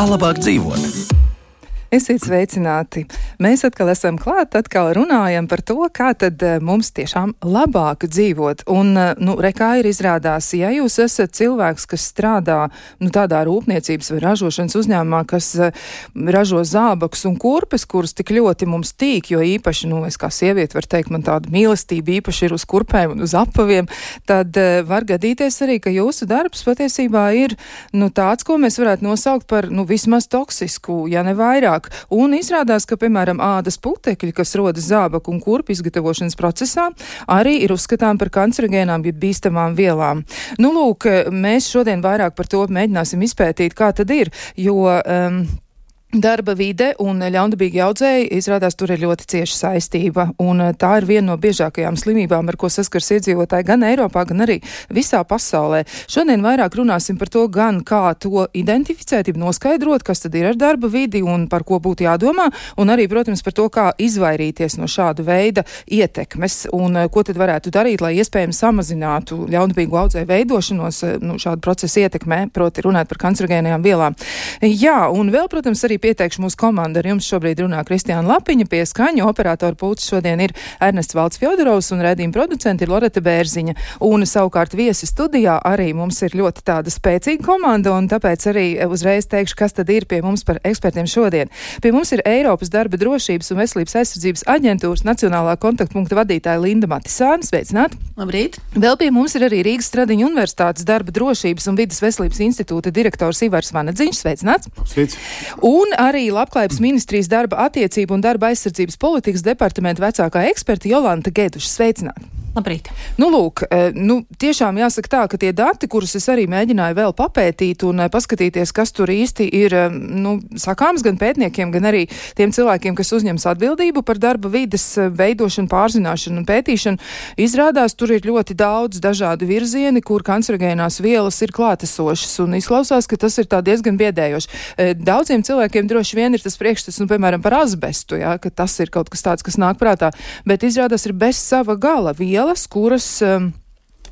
Kā labāk dzīvot? Esiet sveicināti! Mēs atkal esam klāt, atkal runājam par to, kā tad mums tiešām labāk dzīvot. Un, kā ir izrādās, ja jūs esat cilvēks, kas strādā, tādā rūpniecības vai ražošanas uzņēmumā, kas ražo zābakus un kurpes, kuras tik ļoti mums tīk, jo īpaši, es kā sieviete varu teikt, man tāda mīlestība īpaši ir uz kurpēm un uz apaviem, tad var gadīties arī, ka jūsu darbs patiesībā ir, tāds, ko mēs varētu nosaukt par, vismaz toksisku, ja ne vairāk. Un izrādās, ka, piemēram, ādas putekļi, kas rodas zābaku un kurpu izgatavošanas procesā, arī ir uzskatām par kancerogēnām, jeb bīstamām vielām. Mēs šodien vairāk par to mēģināsim izpētīt, kā tad ir, jo darba vide un ļaundabīgi audzēji, izrādās, tur ir ļoti cieša saistība, un tā ir viena no biežākajām slimībām, ar ko saskars iedzīvotāji gan Eiropā, gan arī visā pasaulē. Šodien vairāk runāsim par to gan, kā to identificēt, noskaidrot, kas tad ir ar darba vidi un par ko būtu jādomā, un arī, protams, par to, kā izvairīties no šāda veida ietekmes, un ko tad varētu darīt, lai iespējams samazinātu ļaundabīgu audzēju veidošanos šādu procesu ietekmē, proti runāt par kancerogēnajām vielām. Jā, un vēl, protams, arī pieteikšu mūsu komandu. Ar jums šobrīd runā Kristiāna Lapiņa, pie skaņu operatora pults šodien ir Ernests Valds Fjodorovs un raidījuma producenti ir Loreta Bērziņa. Un savukārt viesi studijā arī mums ir ļoti tāda spēcīga komanda, un tāpēc arī uzreiz teikšu, kas tad ir pie mums par ekspertiem šodien. Pie mums ir Eiropas darba drošības un veselības aizsardzības aģentūras nacionālā kontaktpunkta vadītāja Linda Matisāne. Sveicināti! Labrīt! Vēl pie mums ir arī Rīgas Stradiņu universitātes darba drošības un vides veselības institūta direktors Ivars Vanadziņš. Sveicināts! Sveic! Un arī Labklājības ministrijas darba attiecību un darba aizsardzības politikas departamenta vecākā eksperta Jolanta Geduša. Sveicināti! Labrīt! Tiešām jāsaka tā, ka tie dati, kurus es arī mēģināju vēl papētīt un paskatīties, kas tur īsti ir, sakāms gan pētniekiem, gan arī tiem cilvēkiem, kas uzņems atbildību par darba vides veidošanu, pārzināšanu un pētīšanu, izrādās, tur ir ļoti daudz dažādu virzieni, kur kancerogēnās vielas ir klātesošas, un izklausās, ka tas ir tā diezgan biedējoši. Daudziem cilvēkiem droši vien ir tas priekšstats, piemēram, par azbestu, ka tas ir kaut kas tāds, kas nāk prātā, bet izrādās ir bez sava gala vielas, kuras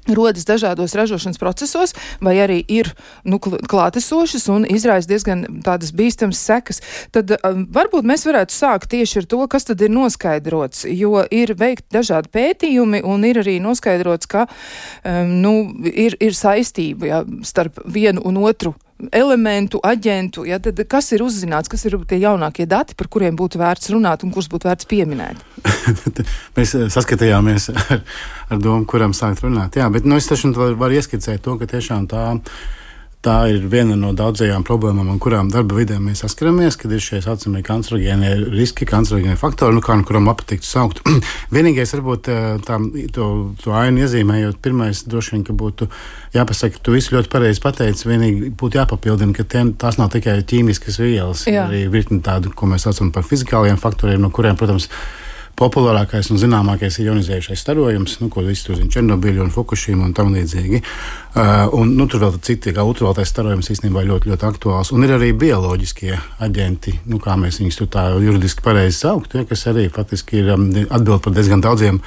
rodas dažādos ražošanas procesos, vai arī ir klātesošas un izraisa diezgan tādas bīstamas sekas. Tad varbūt mēs varētu sākt tieši ar to, kas tad ir noskaidrots, jo ir veikti dažādi pētījumi un ir arī noskaidrots, ka ir saistība starp vienu un otru elementu, aģentu, tad kas ir uzzināts, kas ir tie jaunākie dati, par kuriem būtu vērts runāt un kurus būtu vērts pieminēt? Mēs saskatījāmies ar domu, kuram sākt runāt. Jā, bet es taču varu ieskicēt to, ka tiešām tā ir viena no daudzajām problēmām, un kurām darba vidē mēs saskaramies, kad ir šie saucamie kancerogēnie riski, kancerogēnie faktori, kuram patiktu saukt. Vienīgais, varbūt to ainu iezīmējot, pirmais droši vien, ka būtu jāpasaka, tu visu ļoti pareizi pateici, vienīgi būtu jāpapildina, ka tās nav tikai ķīmiskas vielas, arī virkni tādu, ko mēs saucam par fizikāliem faktoriem, no kuriem, protams, populārākais un zināmākais ir ionizējušais starojums, ko visi tur zina, Černobiļu un Fukušīmu un tam līdzīgi. Tur vēl citi, kā ultravioletais starojums īstenībā ļoti, ļoti aktuāls. Un ir arī bioloģiskie aģenti, kā mēs viņus tur tā juridiski pareizi saukt, kas arī faktiski ir atbild par diezgan daudziem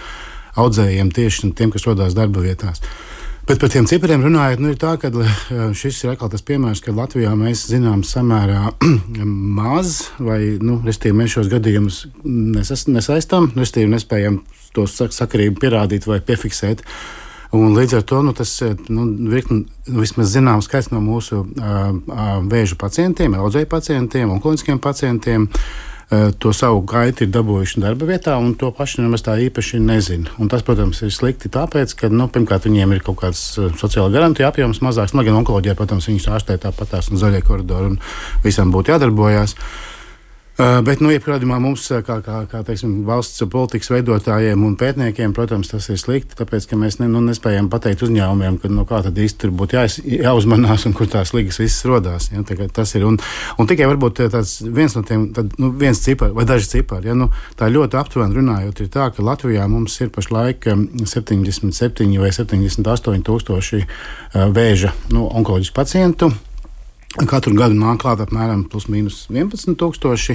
audzējiem tieši tiem, kas rodās darba vietās. Bet par tiem cipariem runājot, ir tā, ka šis ir atkal tas piemērs, ka Latvijā mēs zinām samērā maz, vai, restīvi, mēs šos gadījumus nesaistām, restīvi, nespējam to sakarību pierādīt vai piefiksēt. Un līdz ar to tas vismaz zināms skaits no mūsu vēža pacientiem, audzēju pacientiem, onkoloģiskiem pacientiem, to savu gaitu ir dabūjuši darba vietā, un to paši nemaz tā īpaši nezina. Un tas, protams, ir slikti tāpēc, ka, pirmkārt, viņiem ir kaut kāds sociāla garantija apjoms mazāks, gan onkoloģijā, protams, viņus ārstē tāpatās un zaļie koridori, un visam būtu jādarbojās. Bet, jebkurādījumā mums, kā teiksim, valsts politikas veidotājiem un pētniekiem, protams, tas ir slikti, tāpēc, ka mēs nespējam pateikt uzņēmumiem, ka, kā tad īsti tur būtu jāuzmanās un kur tās ligas visas rodās. Ja, tas ir, un tikai varbūt tāds viens no tiem, viens cipari vai daži cipari, tā ļoti aptuveni runājot, ir tā, ka Latvijā mums ir pašlaik 77 vai 78 tūkstoši vēža onkoloģisku pacientu. Katru gadu nāk klāt apmēram plus mīnus 11 tūkstoši.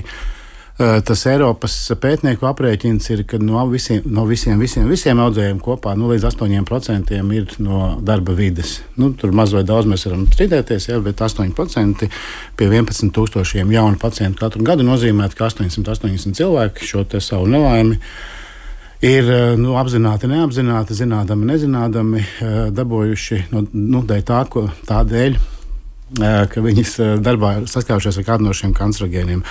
Tas Eiropas pētnieku aprēķins ir, ka no visiem audzējiem kopā līdz 8% ir no darba vides. Tur maz vai daudz mēs varam strīdēties, bet 8% pie 11,000 jaunu pacientu katru gadu nozīmē, ka 880 cilvēki šo te savu nelaimi ir apzināti, neapzināti, zinādami, nezinādami dabūjuši tādēļ, ka viņas darbā saskārušies ar kādu no šiem kancerogēniem.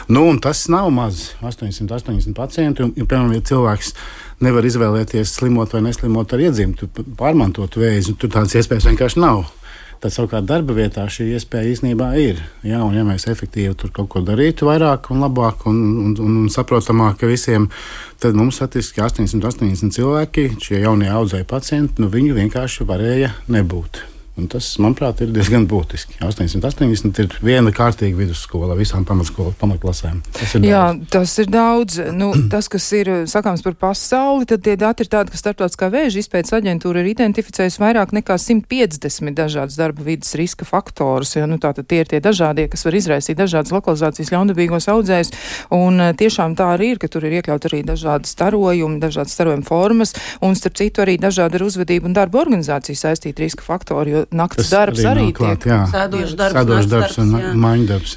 Un tas nav maz, 880 pacienti. Piemēram, ja cilvēks nevar izvēlēties slimot vai neslimot ar iedzimtu, pārmantot vēzi, tur tādas iespējas vienkārši nav. Tad savukārt darba vietā šī iespēja īstenībā ir. Jā, un ja mēs efektīvi tur kaut ko darītu vairāk un labāk un saprotamāk visiem, tad mums faktiski 880 cilvēki, šie jaunie audzēji pacienti, viņu vienkārši varēja nebūt. Un tas, manuprāt, ir diezgan būtiski. 880 ir viena kārtīga vidusskola visām pamatklasēm. Tas ir daudz. Tas, kas ir sakāms par pasauli, tad tie dati ir tādi, ka Starptautiskā vēža izpētes aģentūra ir identificējusi vairāk nekā 150 dažādas darba vides riska faktorus. Tātad tie ir tie dažādie, kas var izraisīt dažādas lokalizācijas ļaundabīgos audzējus. Un tiešām tā arī ir, ka tur ir iekļaut arī dažādas starojumi, dažādas starojuma formas, un starp citu arī dažādi ar uzvedību un darba organizāciju saistīti riska faktori, jo nakts darbs arī tiek sēdošs darbs un maiņu darbs.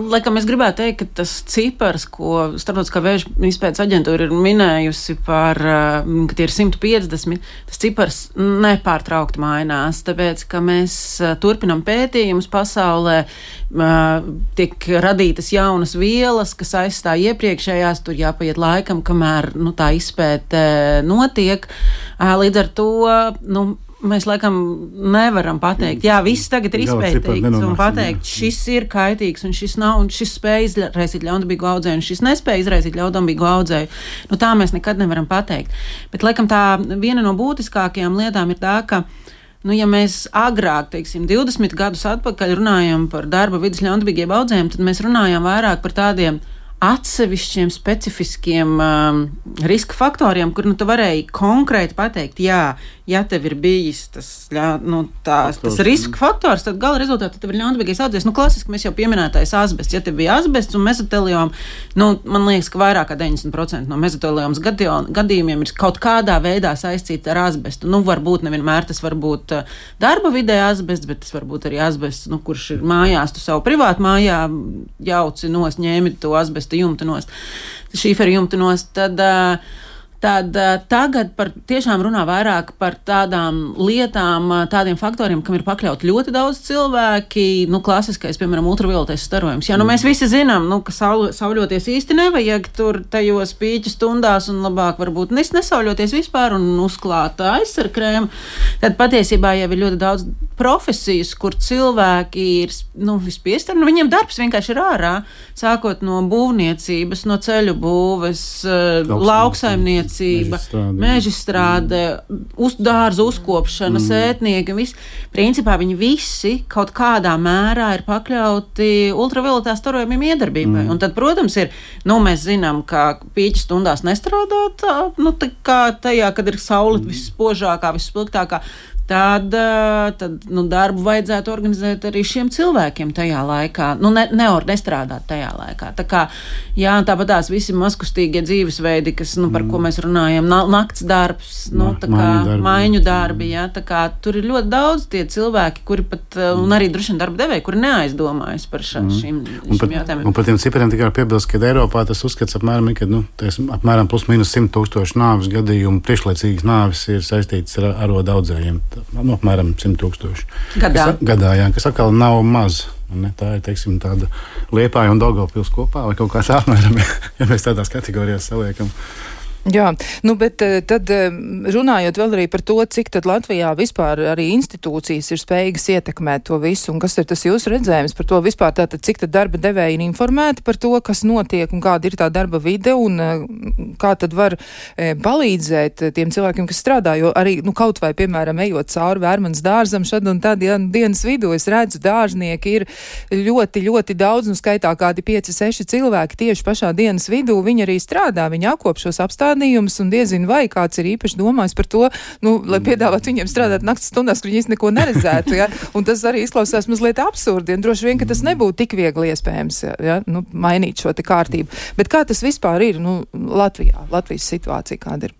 Laikam es gribētu teikt, ka tas cipars, ko Starptautiskā vēža izpētes aģentūra ir minējusi par, ka tie ir 150, tas cipars nepārtraukti mainās, tāpēc, ka mēs turpinam pētījumus pasaulē, tiek radītas jaunas vielas, kas aizstāj iepriekšējās, tur jāpaiet laikam, kamēr tā izpēte notiek. Līdz ar to, mēs laikam nevaram pateikt, viss tagad ir izpētīts un pateikt, šis ir kaitīgs un šis nav, un šis spēj izraisīt ļaundabīgu audzēju un šis nespēj izraisīt ļaundabīgu audzēju. Tā mēs nekad nevaram pateikt. Bet laikam tā viena no būtiskākajām lietām ir tā, ka ja mēs agrāk, 20 gadus atpakaļ runājam par darba vidas ļaundabīgiem audzējiem, tad mēs runājām vairāk par tādiem atsevišķiem, specifiskiem riska faktoriem, kur tu varēji konkrēti pateikt, ja tev ir bijis tas riska faktors, tad gala rezultātā tev ir ļaundabīgais audzējs. Klasiski mēs jau pieminētais asbests. Ja tev bija asbests un mezotelioma, man liekas, ka vairāk kā 90% no mezoteliomas gadījumiem ir kaut kādā veidā saistīti ar asbestu. Varbūt nevienmēr tas var būt darba vidē asbests, bet tas var būt arī asbests, kurš ir mājās, tu savu privātu mājā jauci nost, ņēmi to asbestu jumtu nost, šīferu jumtu nost, tad tagad tiešām runā vairāk par tādām lietām, tādiem faktoriem, kam ir pakļauti ļoti daudz cilvēki, klasiskais, piemēram, ultravioletais starojums. Mēs visi zinām, ka sauļoties īsti nevajag tur tajos pīķu stundās un labāk varbūt nesauļoties vispār un uzklāt aizsarkrēmu. Tad patiesībā jau ir ļoti daudz profesijas, kur cilvēki ir, vispiesti, viņiem darbs vienkārši ir ārā, sākot no būvniecības, no ceļu būves, lauksaimniecības, mežstrāde, dārza uzkopšana, sētnieki, principā viņi visi kaut kādā mērā ir pakļauti ultravioletā starojumiem iedarbībai. Un tad, protams, mēs zinām, ka pīķu stundās nestrādāt, tā kā tajā, kad ir saule visspožākā, visspilgtākā, tad darbu vajadzētu organizēt arī šiem cilvēkiem tajā laikā. Nestrādāt tajā laikā. Tā kā, tāpat tās visi mazkustīgie dzīvesveidi, kas, par ko mēs runājam, nakts darbs, maiņu darbi, tā kā tur ir ļoti daudz tie cilvēki, kuri pat, un arī droši vien darba devēji, kuri neaizdomājas par šīm jautājumiem. Un par tiem cipariem tikai apiebilst, ka Eiropā tas uzskats apmēram, apmēram plus mīnus 100,000 nāves gadījumu, priekšlaicīgas nāves ir saistītas ar arodu audzējiem. Apmēram 100,000 gadā, kas atkal nav maz. Tā ir, tāda Liepāja un Daugavpils kopā, vai kaut kā tā apmēram, ja mēs tādās kategorijās saliekam. Jā, bet tad runājot vēl arī par to, cik tad Latvijā vispār arī institūcijas ir spējīgas ietekmēt to visu, un kas ir tas jūsu redzējums par to vispār, tātad cik tad darba devēji ir informēti par to, kas notiek un kāda ir tā darba vide, un kā tad var palīdzēt tiem cilvēkiem, kas strādā, jo arī, kaut vai, piemēram, ejot cauri Vērmanas dārzam šad un tad dienas vidū, es redzu, dārznieki ir ļoti, ļoti daudz, skaitā kādi 5-6 cilvēki tieši pašā dienas vidū, viņi arī strādā, viņi apkop šos apstādinājumus, pierādījumus un diezinu vai kāds ir īpaši domājis par to, lai piedāvāt viņiem strādāt naktas stundās, kur viņi īsti neko neredzētu, ja? Un tas arī izklausās mazliet absurdi, un droši vien, ka tas nebūtu tik viegli iespējams, ja? Mainīt šo te kārtību. Bet kā tas vispār ir, Latvijas situācija kāda ir?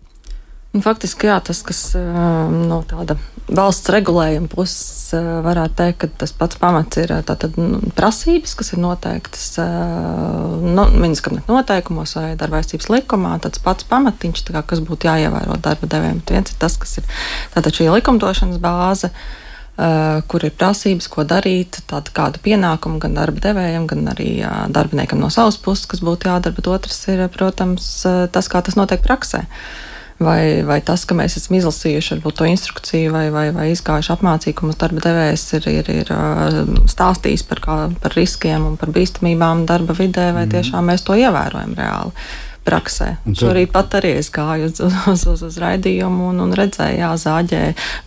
Faktiski, jā, tas, kas no tāda valsts regulējuma puses varētu teikt, ka tas pats pamats ir tātad prasības, kas ir noteiktas viņas kabinetu noteikumos vai darba aizsardzības likumā, tāds pats pamatiņš, kas būtu jāievēro darba devējiem. Viens ir tas, kas ir tātad šī likumdošanas bāze, kur ir prasības, ko darīt, tāda kāda pienākuma gan darba devējiem, gan arī darbiniekam no savas puses, kas būtu jādara, bet otrs ir, protams, tas, kā tas notiek praksē. Vai tas, ka mēs esam izlasījuši varbūt to instrukciju vai izgājuši apmācību, mums darba devējs ir stāstījis par riskiem un par bīstamībām darba vidē, vai tiešām mēs to ievērojam reāli praksē. Šorīt pat arī es gāju uz raidījumu un redzēju, zāģē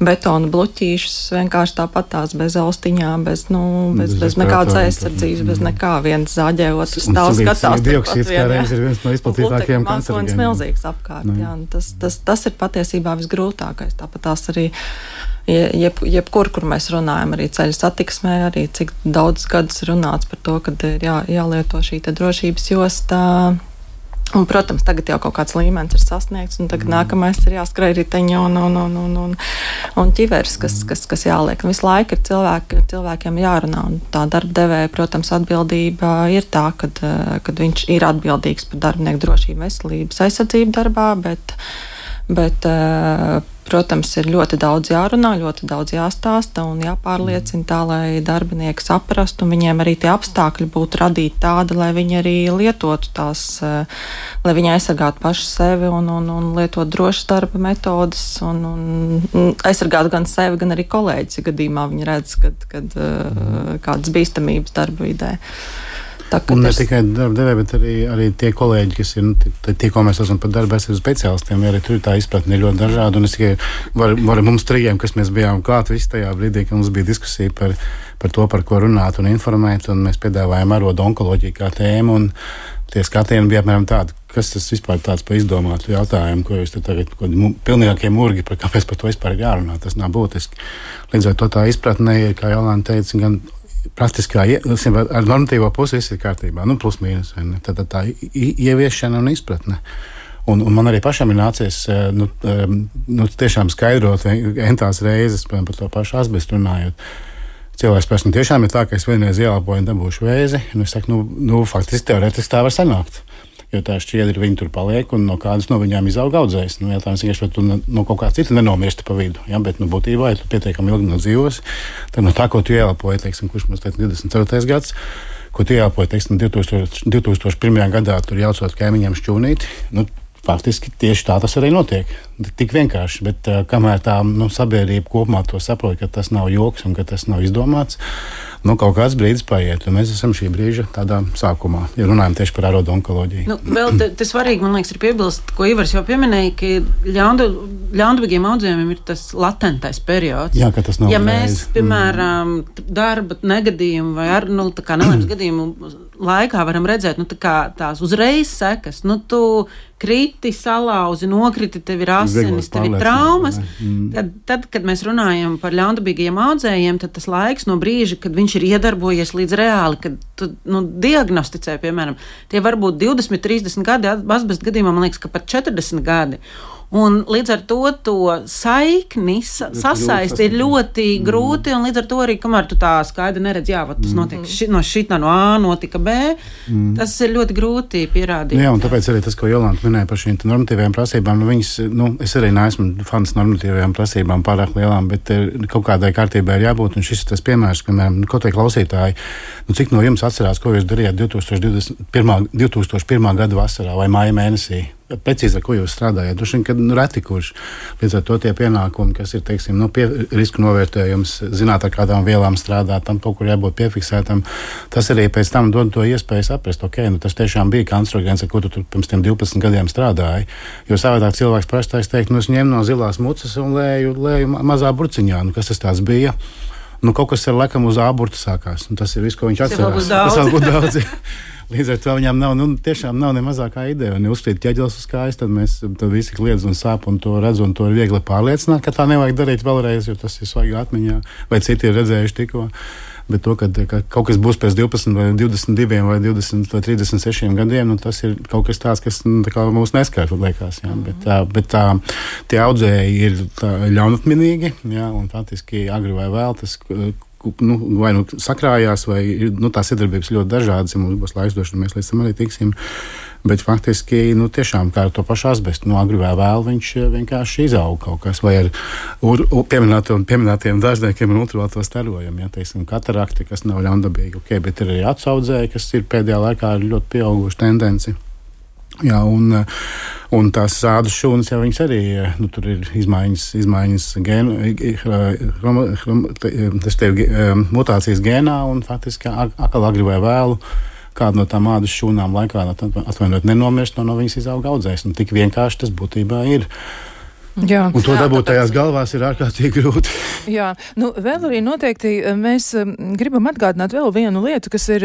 betona bluķīšus vienkārši tāpat tās bez austiņām, bez nekādas aizsardzības, bez nekā. Viens zāģē, otrs stāv skatās. Dioksīds kā reiz ir viens no izplatītākajiem kancerogēniem. Milzīgs apkārt. Jā, tas ir patiesībā visgrūtākais. Tāpat tās arī jebkur, kur mēs runājam, arī ceļu satiksmē, arī cik daudz gadus runāts par to, kad ir jālieto šī te drošības josta. Un, protams, tagad jau kaut kāds līmenis ir sasniegts, un tagad nākamais ir jāskrēj riteņi un ķiveres, kas jāliek. Visu laiku ir cilvēkiem jārunā, un tā darba devēja, protams, atbildība ir tā, kad viņš ir atbildīgs par darbinieku drošību, veselības aizsardzību darbā, bet protams, ir ļoti daudz jārunā, ļoti daudz jāstāsta un jāpārliecina tā, lai darbinieki saprastu un viņiem arī tie apstākļi būtu radīti tādi, lai viņi arī lietotu tās, lai viņi aizsargātu paši sevi un lietot drošas darba metodas un aizsargātu gan sevi, gan arī kolēģis, ja gadījumā viņi redz, kad kādas bīstamības darba vidē. Un ne tikai darba devēji, bet arī tie kolēģi, kas ir, tie, ko mēs esam par darba aizsardzības speciālistiem, arī tur tā izpratne ir ļoti dažāda. Un es tikai varu mums trījiem, kas mēs bijām klāt visi tajā brīdī, kad mums bija diskusija par to, par ko runāt un informēt, un mēs piedāvājām arodu onkoloģiju kā tēmu, un tie skatieni bija apmēram tādi, kas tas vispār tāds pa izdomātu jautājumu, ko jūs te tagad pilnīgākie murgi, kāpēc par to vispār ir jārunā, tas nav būtiski. Līdz ar to tā izpratne ir, kā Jolanta teica, gan praktiskā, ar normatīvo pusi viss ir kārtībā, plus mīnus. Tad tā ieviešana un izpratne. Un man arī pašam ir nācies tiešām skaidrot entās reizes par to pašu asbestu runājot. Cilvēks pēc tiešām ir tā, ka es vienreiz ielāpoju un dabūšu vēzi, un es saku, faktiski teorētiski tā var sanākt. Jo tā šķiedri viņi tur paliek, un no kādas no viņām izauga audzējs. Jautājums vienkārši, vai tu no kaut kā cita nenomirsti pa vidu. Ja? Bet būtībā, ja tu pietiekami ilgi dzīvos, tad no tā, ko tu ielāpoji, kurš mums teica 24. gads, ko tu ielāpoji, 2001. gadā, tur jaucot kaimiņiem šķūnīti, faktiski tieši tā tas arī notiek. Tik vienkārši, bet kamēr tā sabiedrība kopumā to saprot, ka tas nav joks un ka tas nav izdomāts, kaut kāds brīdis paiet, un mēs esam šī brīža tādā sākumā, ja runājam tieši par arodu onkoloģiju. Vēl te svarīgi, man liekas, ir piebilst, ko Ivars jau pieminēja, ka ļaundabīgiem audzējumiem ir tas latentais periods. Jā, ka tas nav ja mēs, piemēram, darba negadījumu vai tā kā nelēmas gadījumu laikā varam redzēt, tās uzreiz sekas, tu kriti, salauzi, nokriti, tev ir asinis, tev ir traumas. Tad, kad mēs runājam par ļaundabīgajiem audzējiem, tad tas laiks no brīža, kad viņš ir iedarbojies līdz reāli, kad tu diagnosticē, piemēram, tie var būt 20, 30 gadi, asbesta gadījumā, man liekas, ka pat 40 gadi. Un līdz ar to saikni sasaist ir ļoti grūti, un līdz ar to arī, kamēr tu tā skaidri neredz, tas notiek no šitā no A notika B, tas ir ļoti grūti pierādīt. Jā, un tāpēc arī tas, ko Jolanta minēja par šīm normatīvajām prasībām, viņas, es arī neesmu fans normatīvajām prasībām pārāk lielām, bet kaut kādai kārtībai ir jābūt, un šis ir tas piemērs, piemēram, ko tie klausītāji, cik no jums atcerās, ko jūs darījāt 2001. gada vasarā vai māja mēnesī? Precīzi, ar ko jūs strādājat. Droši vien, kad reti kurš līdz ar to tie pienākumi, kas ir, risku novērtējums, zināt, ar kādām vielām strādāt, tam kaut kur jābūt piefiksētam, tas arī pēc tam dod to iespēju saprast, tas tiešām bija kancerogēns, ar ko tu pirms tiem 12 gadiem strādāji. Jo savādāk cilvēks prastais teikt, es ņemu no zilās mucas un lēju mazā burciņā. Kas tas tāds bija? Nu, kaut kas ar laikam uz āburtu sākās. Tas ir viss, ko viņš atcerās. Tas vēl būs daudz. Līdz ar to viņām tiešām nav ne mazākā ideja. Un, ja uzkrīt ķeģelis uz kājas, tad visi kliedz un sāp un to redz, un to ir viegli pārliecināt, ka tā nevajag darīt vēlreiz, jo tas ir svaigi atmiņā, vai citi ir redzējuši tikko. Bet to, ka kaut kas būs pēc 12 vai 22 vai 20 vai 36 gadiem, tas ir kaut kas tāds, kas tā mūs neskar, liekas. Jā. Bet tie audzēji ir ļaunatminīgi, jā, un faktiski agri vai vēl tas vai sakrājās, vai tās iedarbības ļoti dažādas, ja mums būs laiks došana, mēs līdz tam arī tiksim. Bet faktiski, tiešām kā ar to pašu asbestu, agri vai vēl viņš vienkārši izaug kaut kas, vai ar pieminētiem dažniekiem un ultravioleto starojumu, ja, teiksim, katarakti, kas nav ļaundabīgi, bet ir arī atsaudzēji, kas ir pēdējā laikā ļoti pieauguši tendenci. Jā, un tās ādas šūnas, ja viņas arī, tur ir izmaiņas mutācijas gēnā, un faktiski atkal agri vai vēlu kādu no tām ādas šūnām laikā atvainot nenomirst, no viņas izauga audzējs. Tik vienkārši tas būtībā ir. Jā. Un to dabūt tajās galvās ir ārkārtīgi grūti. Jā, vēl arī noteikti mēs gribam atgādināt vēl vienu lietu, kas ir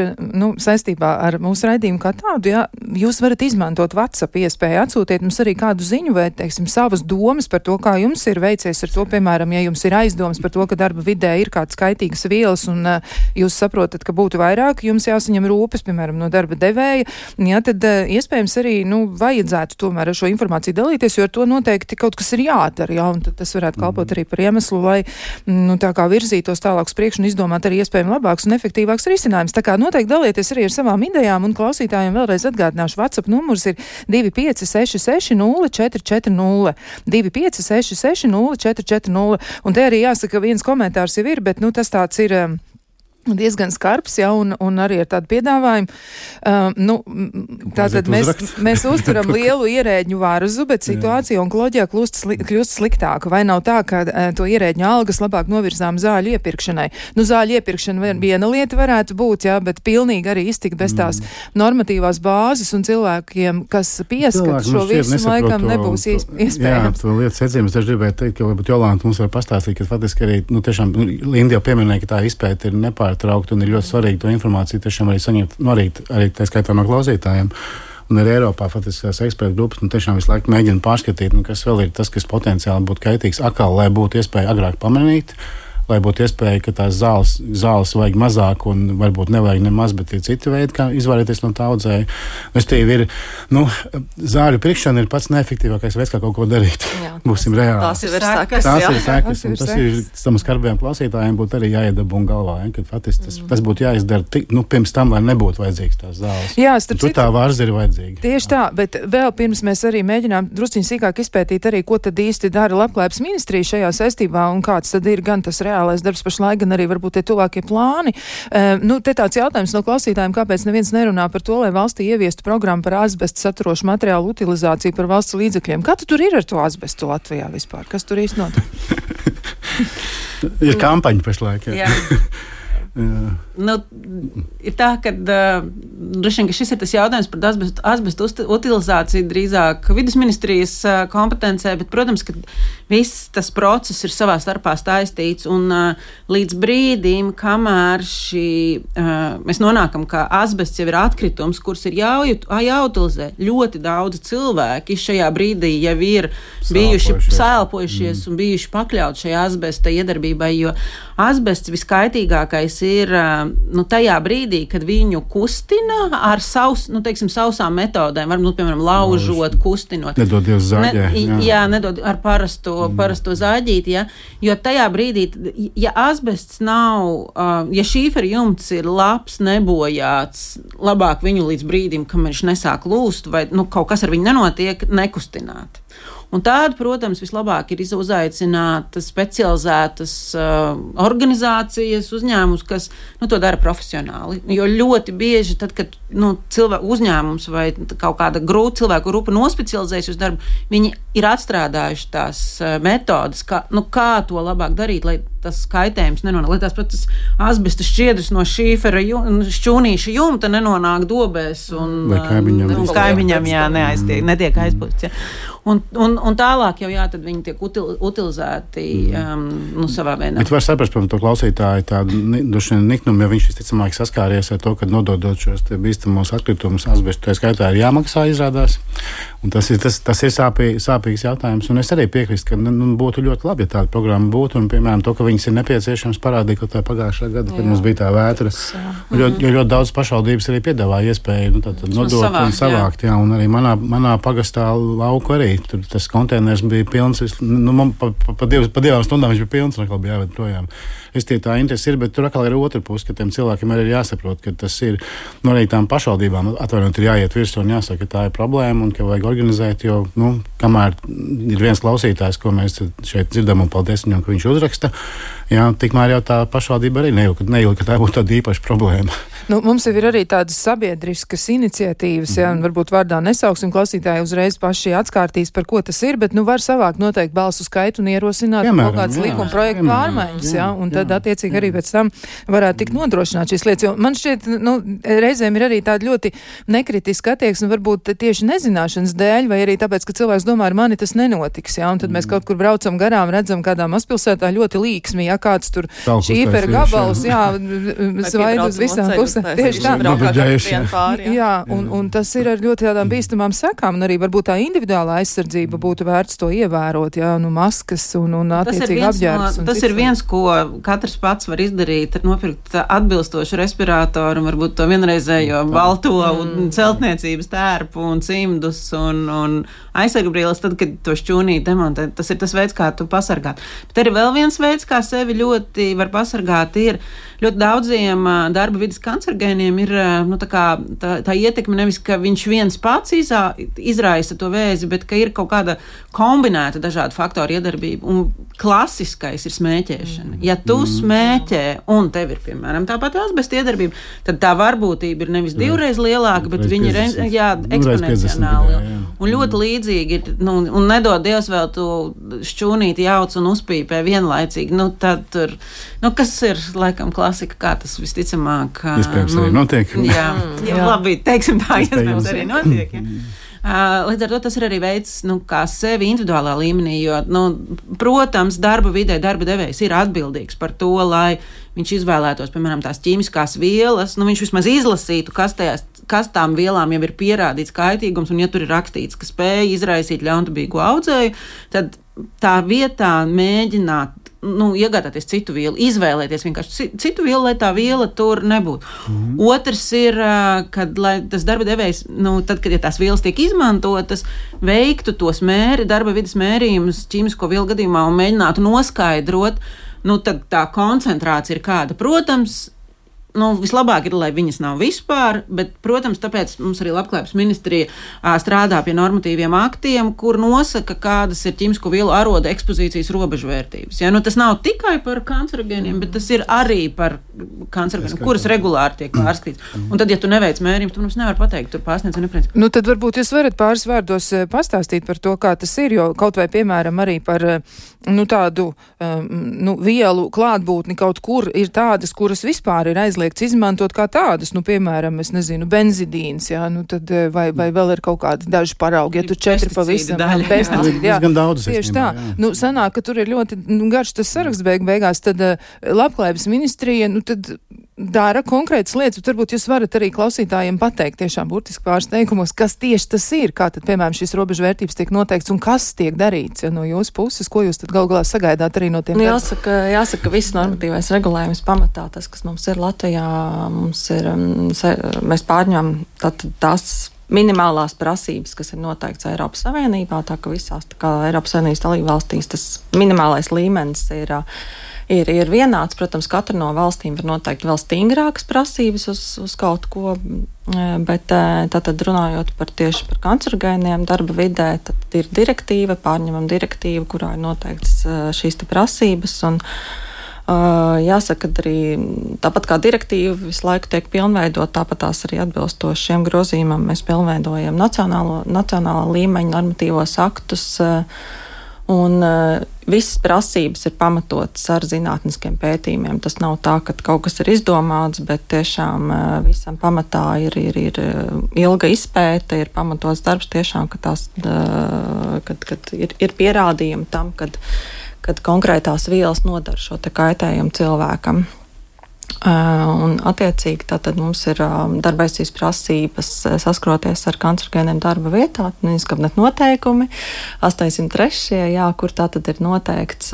saistībā ar mūsu raidījumu kā tādu. Jā, jūs varat izmantot WhatsApp iespēju, atsūtiet mums arī kādu ziņu vai, teiksim, savas domas par to, kā jums ir veicies ar to, piemēram, ja jums ir aizdomas par to, ka darba vidē ir kāds kaitīgas vielas un jūs saprotat, ka būtu vairāk, jums jāsaņem rūpes, piemēram, no darba devēja, jā, tad iespējams arī, vajadzētu tomēr ar šo informāciju dalīties, jo ar to noteikti kaut kas ir jādara, jā, un tas varētu kalpot arī par iemeslu, lai tā kā virzītos tālāk uz priekšu un izdomāt arī iespējami labāks un efektīvāks risinājums. Tā kā noteikti dalieties arī ar savām idejām, un klausītājiem vēlreiz atgādināšu, WhatsApp numurs ir 2566 0440, 2566 0440, un te arī jāsaka, viens komentārs jau ir, bet tas tāds ir diezgan skarbs, ja, un arī ar tādu piedāvājumu. Tātad mēs uzturam lielu ierēģņu vārzu, bet situācija onkoloģijā kļūst sliktāka. Vai nav tā, ka to ierēģņu algas labāk novirzām zāļu iepirkšanai? Zāļu iepirkšana viena lieta varētu būt, jā, bet pilnīgi arī iztikt bez tās normatīvās bāzes un cilvēkiem, kas pieskata šo visu, laikam nebūs iespējams. Jā, to lietas secības es gribēju teikt, ka varbūt Jolanta mums var pastāstīt, ka faktiski arī, tiešām, Linda jau pieminēja, ka tā izpēta ir nepārtraukt, un ir ļoti svarīgi to informāciju tiešām arī saņemt, arī tā skaitā no klausītājiem. Un arī Eiropā faktiskās ekspertu grupas tiešām visu laiku mēģina pārskatīt, kas vēl ir tas, kas potenciāli būtu kaitīgs, lai būtu iespēja agrāk pamanīt, lai būtu iespēja, ka tās zāles vajag mazāk un varbūt nevajag nemaz, bet ir citi veidi, kā izvairīties no tā audzēja. Zāļu pirkšana ir pats neefektīvākais veids, kā kaut ko darīt. Jā, būsim reāli. Tās ir sekas. Tas ir tam skarbajiem klausītājiem būtu arī jāiedabūna galvā, ja, ka faktiski tas būtu jāizdara pirms tam, lai nebūtu vajadzīgs tās zāles. Jā, tur tā vārza ir vajadzīga. Tieši tā, bet vēl pirms mēs arī mēģinām drusciņ sīkāk izpētīt arī, ko tad īsti dara Labklājības ministrija šajā saistībā un kāds tad ir gan tas reālais darbs pašlaik, gan arī varbūt tie tuvākie plāni. Te tāds jautājums no klausītājiem, kāpēc neviens nerunā par to, lai valstī ieviestu programmu par asbestu saturošu materiālu utilizāciju par valsts līdzekļiem. Kā tur ir ar to asbestu Latvijā vispār? Kas tur īsti notiek? Ir kampaņa pašlaik. Jā. Ir tā, ka droši vien, ka šis ir tas jautājums par asbestu utilizāciju drīzāk vides ministrijas kompetencē, bet, protams, ka viss tas process ir savā starpā saistīts, un līdz brīdim, kamēr mēs nonākam, ka asbests jau ir atkritums, kurus ir jāutilizē, ļoti daudz cilvēki šajā brīdī jau ir bijuši sēlpojušies un bijuši pakļauti šajā asbesta iedarbībai, jo asbests viskaitīgākais ir tajā brīdī, kad viņu kustina ar sausām metodēm, varbūt, piemēram, laužot, kustinot. Nedod Dievs zāģē. Nedod ar parasto zāģīti, ja, jo tajā brīdī, ja asbests nav, ja šīfera jumts ir labs, nebojāts, labāk viņu līdz brīdim, kamēr viņš nesāk lūst, vai kaut kas ar viņu nenotiek, nekustināt. Un tāda, protams, vislabāk ir uzaicināt specializētas organizācijas, uzņēmumus, kas to dara profesionāli. Jo ļoti bieži, tad, kad uzņēmums vai kaut kāda cilvēku grupa nospecializējas uz darbu, viņi ir atstrādājuši tās metodas, kā to labāk darīt, lai tas kaitējums nenonāk, lai tās pat tas asbesta šķiedras no šīfera šķūnīša jumta nenonāk dobēs un kaimiņam netiek aizpūsts. Un tālāk jau tad viņi tiek utilizēti savā veidā. Bet var saprast, protams, to klausītāju tādu niknumu, jo viņš visticamāk saskāries ar to, ka nododot šos bīstamos atkritumus asbestu, tā skaitā ir jāmaksā izrādās. Un tas ir sāpīgs jautājums. Un es arī piekrīstu, ka būtu ļoti labi, ja tāda programma būtu. Un, piemēram, to, ka viņas ir nepieciešams parādīt, ka tā pagājušā gada, kad mums bija tā vētra. Jo ļoti daudz pašvaldības arī piedāvāja iespēju nodot un savākt. Jā, un arī manā pagastā lauku arī. Tur tas konteiners bija pilns. Pa 2 stundām viņš bija pilns un atkal bija jāved projām. Tā interesi ir, bet tur atkal ir otra puse, ka tiem cilvēkiem arī ir jāsaprot, ka tas ir arī tām pašvaldībām atvainot ir jāiet virsū un jāsaka, ka tā ir problēma un ka vajag organizēt, jo, kamēr ir viens klausītājs, ko mēs šeit dzirdam un paldies viņam, ka viņš uzraksta, tikmēr jau tā pašvaldība arī nejūt, ka tā būtu tāda īpaša problēma. Mums jau ir arī tādas sabiedriskas iniciatīvas, un varbūt vārdā nesauksim klausītāji uzreiz paši atskārtīs, par ko tas ir, bet var savākt noteikti balsu skaitu un ierosināt kaut kādas likuma projektu pārmaiņas, un tad attiecīgi arī pēc tam varētu tikt nodrošināt šīs lietas. Jo man šķiet, reizēm ir arī tāda ļoti nekritiska attieksme, varbūt tieši nezināšanas dēļ, vai arī tāpēc, ka cilvēks domā, ar mani tas nenotiks, un tad mēs kaut kur braucam garām, redzam kādā mazpilsētā ļoti līksmi, kāds tur šīfera gabals, svaid uz visām pusēm. Tieši tā. Un tas ir ar ļoti tādām bīstamām sekām, un arī varbūt tā individuālā aizsardzība būtu vērts to ievērot, maskas un attiecīgi apģērbs. Tas ir viens, ko katrs pats var izdarīt, nopirkt atbilstošu respirātoru, un varbūt to vienreizējo balto un celtniecības tērpu un cimdus un aizsargbrīles, tad, kad to šķūnīt demontē. Tas ir tas veids, kā tu pasargāt. Bet arī vēl viens veids, kā sevi ļoti var pasargāt, ir ļoti daudziem darba vidas kancerogēniem ir tā ietekme nevis, ka viņš viens pats izraisa to vēzi, bet ka ir kaut kāda kombinēta dažādu faktoru iedarbība. Un klasiskais ir smēķēšana. Ja tu smēķē un tev ir, piemēram, tāpat asbesta iedarbība, tad tā varbūtība ir nevis 2 reizes lielāka, bet viņa ir eksponenciāli. Un ļoti līdzīgi ir, un nedod Dievs vēl tu šķūnīti jauc un uzpīpē vienlaicīgi. Tad tur, kas ir, laikam, klasika, kā tas visticamāk. Iespējams arī notiek. Jā, labi, teiksim tā, iespējams arī notiek. Līdz ar to tas ir arī veids, kā sevi individuālā līmenī, jo, protams, darba vidē darba devējs ir atbildīgs par to, lai viņš izvēlētos, piemēram, tās ķīmiskās vielas, viņš vismaz izlasītu, kas tām vielām jau ir pierādīts kaitīgums, un ja tur ir rakstīts, ka spēja izraisīt ļaunprātīgu audzēju, tad tā vietā mēģināt iegādāties citu vielu, izvēlēties vienkārši citu vielu, lai tā viela tur nebūtu. Otrs ir, kad lai tas darba devējs, tad, kad tās vielas tiek izmantotas, veiktu tos darba vidas mērījumus ķīmisko vielu gadījumā un mēģinātu noskaidrot, tad tā koncentrācija ir kāda. Protams, vislabāk ir, lai viņas nav vispār, bet, protams, tāpēc mums arī Labklājības ministrija strādā pie normatīviem aktiem, kur nosaka, kādas ir ķīmisko vielu aroda ekspozīcijas robežvērtības. Tas nav tikai par kancerogēniem, bet tas ir arī par kancerogēniem, kuras regulāri tiek pārskatīts. Un tad, ja tu neveic mērījumus, tu mums nevar pateikt, tur pārsniedz un nepriecīgi. Tad varbūt jūs varat pāris vārdos pastāstīt par to, kā tas ir, jo kaut vai, piemēram, arī par tādu vielu klātbūtni kaut kur ir tādas, kuras vispār ir aizliegts izmantot kā tādas, piemēram, es nezinu, benzidīns, tad vai vēl ir kaut kādi daži paraugi, ja tur 4 pavisam pesticīdi, gan daudz. Tieši tā. Sanāk, ka tur ir ļoti garš tas saraksts beigās, tad Labklājības ministrija, tad dara konkrētas lietas, bet varbūt jūs varat arī klausītājiem pateikt tiešām burtiski pāris teikumos, kas tieši tas ir, kā tad, piemēram, šīs robežvērtības tiek noteikts un kas tiek darīts no jūsu puses, ko jūs tad galu galā sagaidāt arī no tiem? Jāsaka, viss normatīvais regulējums pamatā, tas, kas mums ir Latvijā, mēs pārņemam tās minimālās prasības, kas ir noteikts Eiropas Savienībā, tā ka visās Eiropas Savienības dalībvalstīs tas minimālais līmenis ir vienāds. Protams, katra no valstīm var noteikt vēl stingrākas prasības uz kaut ko, bet tātad runājot tieši par kancerogēniem darba vidē, tad ir direktīva, pārņemam direktīvu, kurā ir noteikts šīs te prasības, un jāsaka, ka arī tāpat kā direktīva visu laiku tiek pilnveidot, tāpat tās arī atbilstoši šiem grozījumam mēs pilnveidojam nacionālā līmeņa normatīvos aktus. Un visas prasības ir pamatotas ar zinātniskiem pētījumiem. Tas nav tā, ka kaut kas ir izdomāts, bet tiešām visam pamatā ir ilga izpēte, ir pamatots darbs tiešām, ka kad ir pierādījumi tam, kad konkrētās vielas nodara šo te kaitējumu cilvēkam. Un attiecīgi tātad mums ir darba aizsardzības prasības saskroties ar kancerogēniem darba vietā, izkabinēt noteikumi 803, kur tātad ir noteikts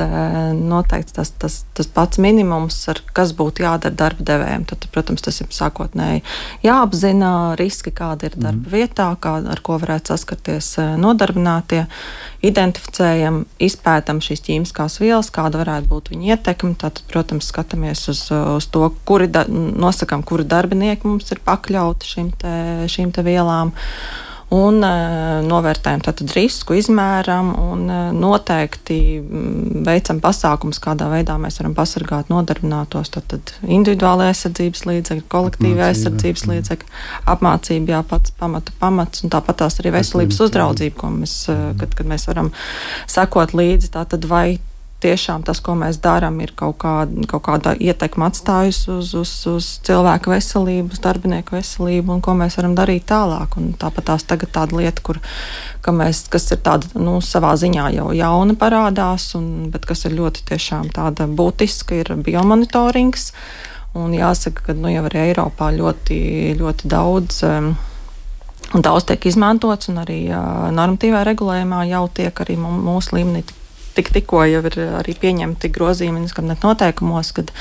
tas pats minimums, kas būtu jādara darba devējiem. Tad, protams, tas ir sākotnēji jāapzina riski, kāda ir darba vietā, ar ko varētu saskarties nodarbinātie, identificējam, izpētam šīs ķīmiskās vielas, kāda varētu būt viņa ietekme. Tātad, protams, skatāmies uz to, nosakām, kuri darbinieki mums ir pakļauti šīm te vielām, un novērtējam tātad risku, izmēram un noteikti veicam pasākumus, kādā veidā mēs varam pasargāt nodarbinātos. Tātad individuāla aizsardzības līdzekļi, kolektīva aizsardzības līdzekļi, apmācība, pamats, un tāpat tās arī veselības uzraudzība, ko mēs, kad mēs varam sekot līdzi, tātad vai tiešām tas, ko mēs darām, ir kaut kāda ietekme atstājusi uz cilvēku veselību, uz darbinieku veselību, un ko mēs varam darīt tālāk. Un tāpat tās tagad tāda lieta, kas ir tāda, savā ziņā jau jauna parādās, bet kas ir ļoti tiešām tāda būtiska, ir biomonitorings. Un jāsaka, ka jau arī Eiropā ļoti, ļoti daudz tiek izmantots, un arī normatīvā regulējumā jau tiek arī mūsu līmenī tikko jau ir arī pieņemti grozījumi noteikumos, kad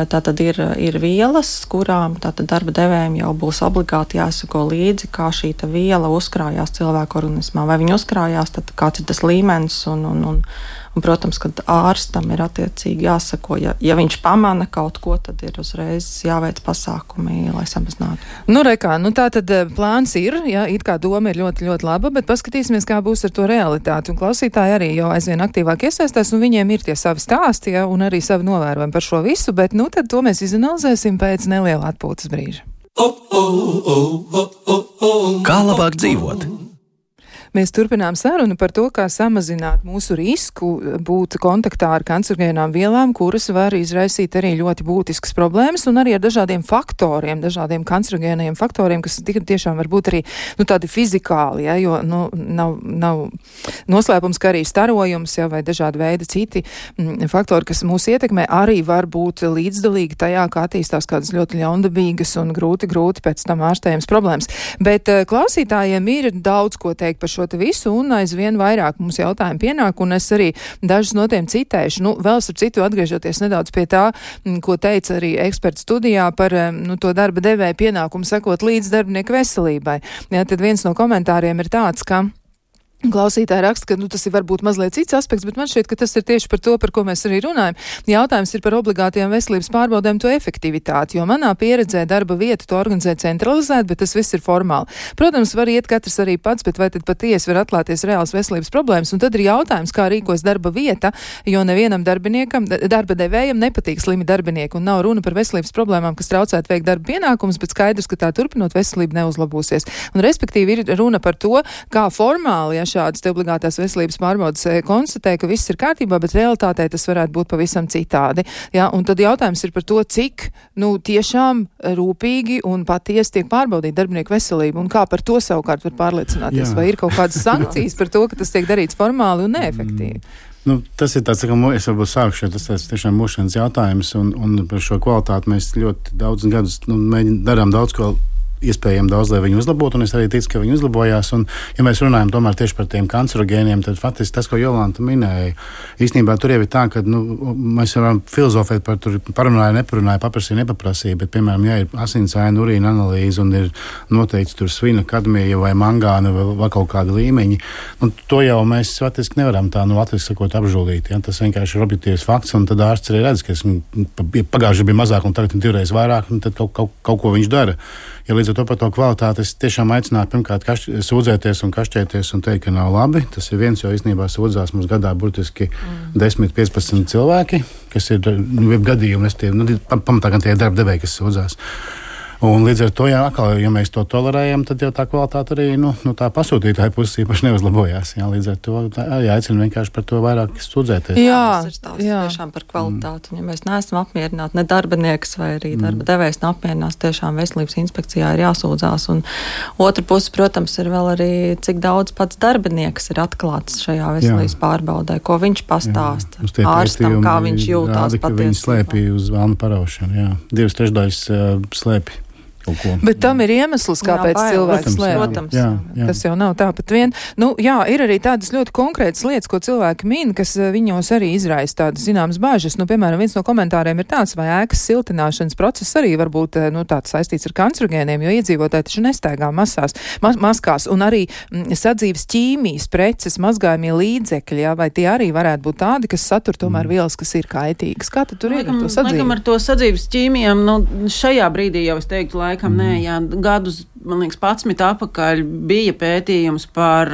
tātad ir vielas, kurām tātad darba devējiem jau būs obligāti jāsako līdzi, kā šī viela uzkrājās cilvēku organismā. Vai viņa uzkrājās, tad kāds ir tas līmenis, un protams, kad ārstam ir attiecīgi jāsako, ja viņš pamana kaut ko, tad ir uzreiz jāveic pasākumi, lai samazinātu. Tā tad plāns ir, it kā doma ir ļoti, ļoti laba, bet paskatīsimies, kā būs ar to realitāti. Un klausītāji arī jau aizvien aktīvāk iesaistās, un viņiem ir tie savi stāsti, un arī savi novērojumi par šo visu, bet tad to mēs izanalizēsim pēc neliela atpūtas brīža. Kā labāk dzīvot? Mēs turpinām sarunu par to, kā samazināt mūsu risku būt kontaktā ar kancerogēnām vielām, kuras var izraisīt arī ļoti būtiskas problēmas, un arī ar dažādiem faktoriem, dažādiem kancerogēniem faktoriem, kas tiešām var būt arī tādi fizikāli, jo nav noslēpums, ka arī starojums, vai dažādi veidi citi faktori, kas mūs ietekmē, arī var būt līdzdalīgi tajā, kā attīstās kādas ļoti ļaundabīgas un grūti pēc tam ārstējams problēmas. Bet klausītājiem ir daudz ko teikt par šo visu, un aizvien vairāk mums jautājumi pienāk, un es arī dažus no tiem citēšu. Vēl starp citu atgriežoties nedaudz pie tā, ko teica arī eksperts studijā par to darba devēja pienākumu sekot līdz darbinieku veselībai. Tad viens no komentāriem ir tāds, ka klausītāji raksta, ka tas ir varbūt mazliet cits aspekts, bet man šķiet, ka tas ir tieši par to, par ko mēs arī runājam. Jautājums ir par obligātajām veselības pārbaudēm to efektivitāti, jo manā pieredzē darba vieta to organizē centralizēt, bet tas viss ir formāli. Protams, var iet katrs arī pats, bet vai tad patiesi var atklāties reāls veselības problēmas? Un tad ir jautājums, kā rīkos darba vieta, jo nevienam darbiniekam, darba devējam nepatīk slimi darbinieki, un nav runa par veselības problēmām, kas traucētu veikt darba pienākumus, bet skaidrs, ka tā turpinot veselība neuzlabosies. Un respektīvi ir runa par to, kā formāli, šādas te obligātās veselības pārbaudas konstatē, ka viss ir kārtībā, bet realitātē tas varētu būt pavisam citādi. Un tad jautājums ir par to, cik tiešām rūpīgi un patiesi tiek pārbaudīta darbinieku veselība, un kā par to savukārt var pārliecināties, vai ir kaut kādas sankcijas par to, ka tas tiek darīts formāli un neefektīvi. Tas ir tāds, es varbūt sākšu, tas tiešām mūšanas jautājums, un par šo kvalitāti mēs ļoti daudz gadus darām daudz ko iespējami daudz, lai viņi uzlabotu, un es arī ticu, ka viņi uzlabojās. Un, ja mēs runājam tomēr tieši par tiem kancerogēniem, tad faktiski tas, ko Jolanta minēja, īstenībā tur jau ir tā, ka mēs varam filozofēt par tur parunāja, neparunāja, paprasīja, nepaprasīja, bet, piemēram, ja ir asinsaiņa, urīna analīze un ir noteikti tur svina, kadmija vai mangāna vai kaut kāda līmeņa, to jau mēs faktiski nevaram tā latviski sakot apžūlīt. Ja? Tas vienkārši ir objektīvs fakts, un tad ārsts arī redz, ka pagājuši bija mazāk un tagad ir divreiz vairāk, un tad kaut ko viņš dara. Ja līdz ar to par to kvalitāti es tiešām aicinātu pirmkārt sūdzēties un kašķēties un teikt, ka nav labi. Tas ir viens, jo īstenībā sūdzās mums gadā burtiski 10-15 cilvēki, kas ir gadījumi, pamatā gan tie darba devēji, kas sūdzās. Un līdz ar to, ja mēs to tolerējam, tad jau tā kvalitāte arī tā pasūtītāja puses īpaši neuzlabojās. Jā, līdz ar to jāicina vienkārši par to vairāk sūdzēties. Tas ir stāsts tiešām par kvalitāti. Ja mēs neesam apmierināti, ne darbinieks vai arī darba devējs neapmierinās, tiešām veselības inspekcijā ir jāsūdzās. Un otra puse, protams, ir vēl arī, cik daudz pats darbinieks ir atklāts šajā veselības pārbaudē, ko viņš pastāsta ārstam, kā viņš jūtās patiesībā. Viņi slēpja uz vēlnu paraušanu, jā. 2/3 slēpja. Bet tam ir iemesls, kāpēc cilvēks slēpj. Tas jau nav tāpat vien. Ir arī tādas ļoti konkrētas lietas, ko cilvēki min, kas viņos arī izraisa tādas zināmas bāžas. Piemēram, viens no komentāriem ir tāds, vai ēkas siltināšanas process arī var būt tāds saistīts ar kancerogēniem, jo iedzīvotāji taču nestaigā maskās, un arī sadzīves ķīmijas preces, mazgājumie līdzekļi, vai tie arī varētu būt tādi, kas satur tomēr vielas, kas ir kaitīgas. Kā tad tur ir ar to sadzīvi? Laikam ar to sadzīves ķīmijām, šajā brīdī jau es teiktu, gadus, man liekas, 11 atpakaļ bija pētījums par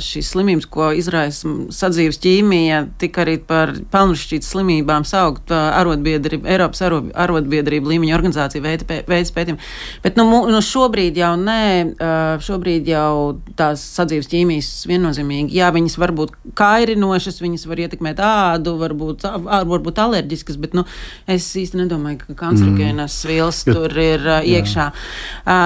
šīs slimības, ko izraisa sadzīves ķīmija, tika arī par pelnušķītas slimībām saukt Eiropas arotbiedrība līmeņa organizācija veids pētījumu. Bet šobrīd jau šobrīd jau tās sadzīves ķīmijas viennozīmīgi, viņas var būt kairinošas, viņas var ietekmēt ādu, varbūt alerģiskas, bet es īsti nedomāju, ka kancerogēnas vielas tur ir iekšā.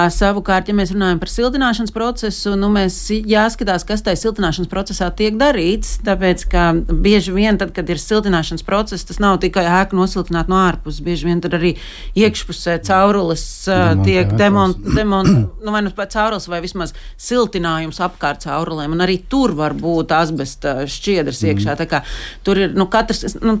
Savukārt, ja mēs runājam par siltināšanas procesu, mēs jāskatās, kas tajā siltināšanas procesā tiek darīts, tāpēc, ka bieži vien tad, kad ir siltināšanas process, tas nav tikai ēku nosiltināt no ārpuses, bieži vien tad arī iekšpusē caurules tiek vai caurules vai vismaz siltinājums apkārt caurulēm, un arī tur var būt asbesta šķiedras iekšā, tā kā tur ir,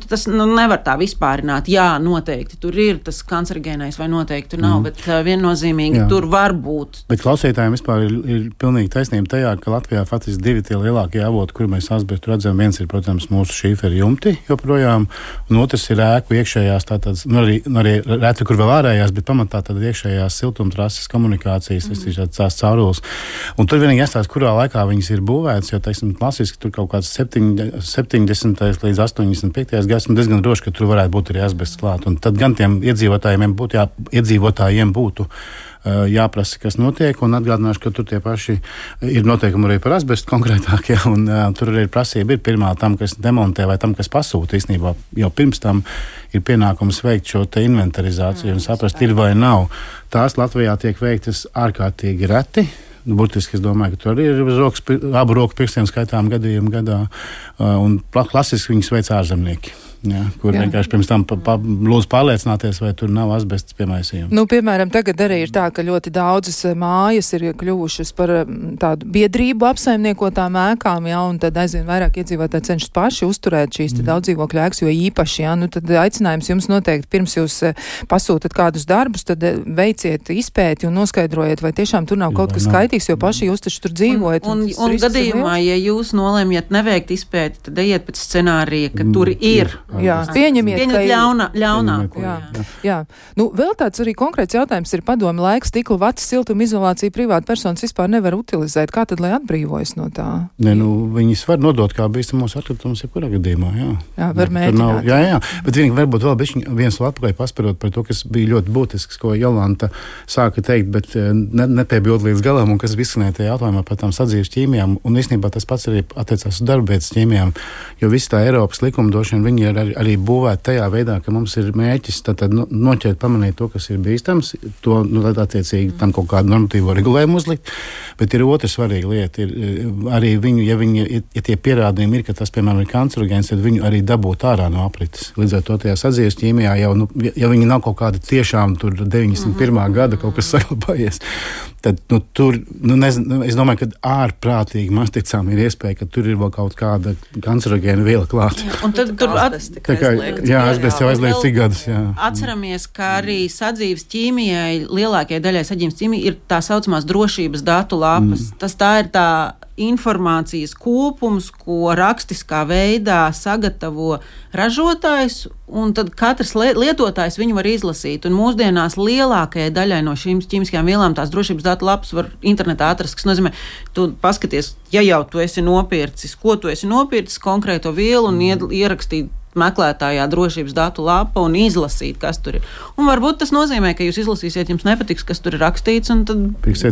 tas nevar tā vispārināt, noteikti, tur ir tas kancerogēnais vai noteikti nav, bet viennozīmīgi tur var būt. Bet klausītājiem vispār ir pilnīgi taisnība tajā, ka Latvijā faktiski 2 tie lielākie avoti, kur mēs asbestu redzam, viens ir, protams, mūsu šīferi jumti joprojām, un otrs ir ēku iekšējās, tātad, arī reti, kur vēl ārējās, bet pamatā tad iekšējās siltumtrases komunikācijas, tās caurules. Un tur vienīgi jāstāsta, kurā laikā viņas ir būvētas, jo, teiksim, klasiski tur kaut kāds 70. līdz 85. gads, un diezgan droši, ka tur varētu būt arī asbests klāt. Un tad gan tiem iedzīvotājiem būtu jāprasa, kas notiek, un atgādināšu, ka tur tie paši ir noteikumi arī par asbestu konkrētākie, un tur arī prasība ir pirmā tam, kas demontē vai tam, kas pasūta īstenībā. Jau pirms tam ir pienākums veikt šo te inventarizāciju un saprast, ir vai nav. Tās Latvijā tiek veiktas ārkārtīgi reti. Burtiski es domāju, ka tur arī ir abu roku pirkstiem skaitām gadījumu gadā, un klasiski viņas veic ārzemnieki. Kur vienkārši pirms tam lūdzu pārliecināties, vai tur nav asbests piemaisījumi. Piemēram, tagad arī ir tā, ka ļoti daudzas mājas ir kļuvušas par tādu biedrību apsaimniekotām ēkām, un tad aizvien vairāk iedzīvotāji cenšas paši uzturēt šīs daudzdzīvokļu ēkas, jo īpaši, tad aicinājums jums noteikti pirms jūs pasūtat kādus darbus, tad veiciet izpēti un noskaidrojiet, vai tiešām tur nav kaut kas skaitīgs, jo paši jūs taču tur dzīvojat. Un gadījumā, ja jūs nolemjat neveikt izpēti, tad ejiet pēc scenārija, ka tur ir. Pieņemiet ļaunāko. Vēl tāds arī konkrēts jautājums ir padomi laika stikla vatas siltuma izolācija privāta personas vispār nevar utilizēt. Kā tad, lai atbrīvojas no tā? Viņas var nodot kā bīstamos atkritumus jebkurā gadījumā, var mēģināt. Bet varbūt vēl viens vēl atpakaļ pasparot par to, kas bija ļoti būtisks, ko Jolanta sāka teikt, bet nepiebildu līdz galam, un kas izskanēja tajā jautājumā par tām sadzīves ķīmijām, un īstenībā tas pats arī attiecās uz darbvietas ķīmijām, jo visa tā Eiropas likumdošana, viņi ir arī būvēt tajā veidā, ka mums ir mērķis noķert, pamanīt to, kas ir bīstams, to attiecīgi tam kaut kādu normatīvo regulējumu uzlikt, bet ir otra svarīga lieta, ir arī viņu, ja tie pierādījumi ir, ka tas, piemēram, ir kancerogēns, tad viņu arī dabūt ārā no aprites. Līdz ar to tajā sadzīves ķīmijā jau, ja viņi nav kaut kāda tiešām tur 91. gada kaut kas saglabājies, tad tur, es domāju, ka ārprātīgi maz ticām ir iespēja, ka tur ir vēl kaut kāda kancerogēna viela klāt. Un tad tur asbests jau aizliedz cik gadus. Atceramies, ka arī sadzīves ķīmijai, lielākajai daļai sadzīves ķīmijai ir tā saucamās drošības datu lapas. Tā ir tā informācijas kopums, ko rakstiskā veidā sagatavo ražotājs, un tad katrs lietotājs viņu var izlasīt. Un mūsdienās lielākajai daļai no šīm ķīmiskajām vielām tās drošības datu lapas var internetā atrast, kas nozīmē, tu paskaties, ja jau tu esi nopircis, ko tu esi nopircis, konkrēto vielu un ierakstīt meklētājā drošības datu lapa un izlasīt, kas tur ir. Un varbūt tas nozīmē, ka jūs izlasīsiet, jums nepatiks, kas tur ir rakstīts, un tad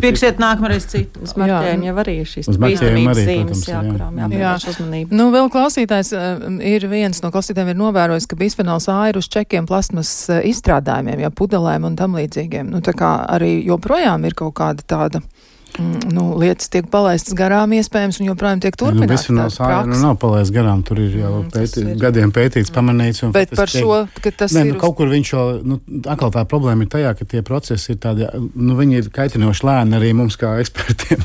pirksiet nākamreiz citu. Uz marķējiem jau arī šīs bīstamības zīmes, kurām jāpievērš uzmanība. Nu, vēl klausītājs viens no klausītājiem ir novērojis, ka bisfenols A ir uz čekiem plasmas izstrādājumiem, ja pudelēm un tam līdzīgiem. Nu, tā kā arī joprojām ir kaut kāda tāda lietas tiek palaistas garām iespējams un joprojām tiek turpināts. Bisfenols A nav palaists garām, tur ir jau gadiem pētīts, pamanīts. Bet par šo, ka tas ir... Kaut kur viņš jau, atkal tā problēma ir tajā, ka tie procesi ir tādi, viņi ir kaitinoši lēni arī mums kā ekspertiem.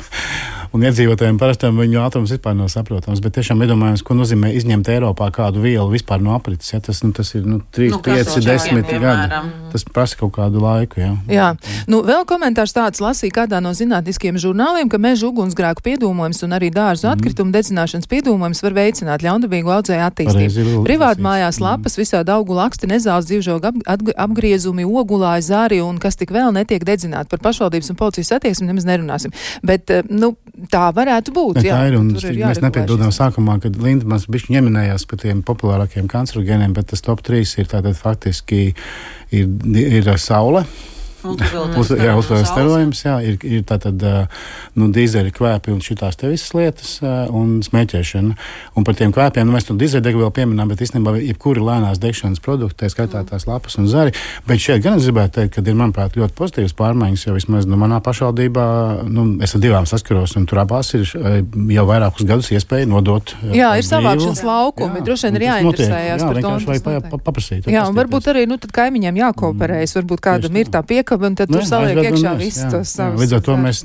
Un iedzīvotājiem parastam viņu ātrums vispār nav saprotams, bet tiešām iedomājams, ko nozīmē izņemt Eiropā kādu vielu vispār no aprites. Ja? Tas ir 3, 5, 10 gadi. Tas prasa kaut kādu laiku. Jā. Vēl komentārs tāds lasīja kādā no zinātniskiem žurnāliem, ka meža ugunsgrēku piedūmojums un arī dārzu atkritumu dedzināšanas piedūmojums var veicināt ļaundabīgu audzēju attīstību. Privātmājās lapas, visādi augu laksti, nezāles, dzīvžogu apgriezumi, ogulāji, zāri un kas tik vēl netiek dedzināti. Par pašvaldības un policijas attieksmi nemaz nerunāsim. Bet, tā varētu būt. Tā ir, un mēs nepiedodām sākumā, kad Linda mums bišķi ņeminējās par tiem populārākiem kancerogēniem, bet tas top 3 ir tātad faktiski ir saule. Uzpildījums starojums, ir tātad dīzeļa kvēpi un šitās te visas lietas un smēķēšana. Un par tiem kvēpiem, mēs to dīzeļdegu vēl pieminām, bet īstenībā jebkuri lēnās degšanas produkti, tā skaitā tās lapas un zari. Bet šeit gan es gribētu teikt, ka ir, manuprāt, ļoti pozitīvas pārmaiņas, jo vismaz manā pašvaldībā, es ar 2 saskaros, un tur abās ir jau vairākus gadus iespēja nodot. Jā, ir savākšanas laukumi, droši vien ir jāinteresējās par to. Vienkārši paprasīt. Jā, un varbūt arī, tad kaimiņiem jākooperējas, varbūt kādam ir tā piekaba, un tad tur saliek iekšā visus tos savus. Līdz ar to mēs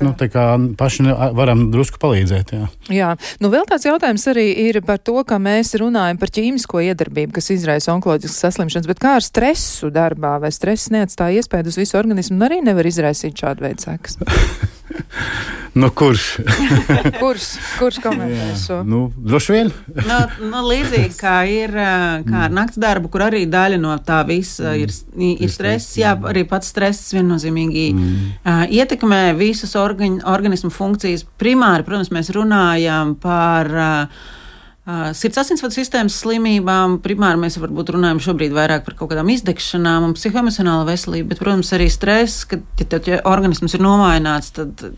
paši varam drusku palīdzēt. Jā. Vēl tāds jautājums arī ir par to, ka mēs runājam par ķīmisko iedarbību, kas izraisa onkoloģiskas saslimšanas, bet kā ar stresu darbā, vai stress neatstāja iespēju uz visu organismu un arī nevar izraisīt šādu veidu sekas? Kurš? Kurš komentē šo? Droši vien. Līdzīgi kā ir kā ar nakts darbu, kur arī daļa no tā visa ir stress, arī pats stress viennozīmīgi ietekmē visas organismu funkcijas. Primāri, protams, mēs runājam par sirds asinsvadu sistēmas slimībām. Primāri mēs varbūt runājam šobrīd vairāk par kaut kādām izdegšanām un psihoemocionālu veselību, bet, protams, arī stress, ka ja organisms ir nomājināts, tad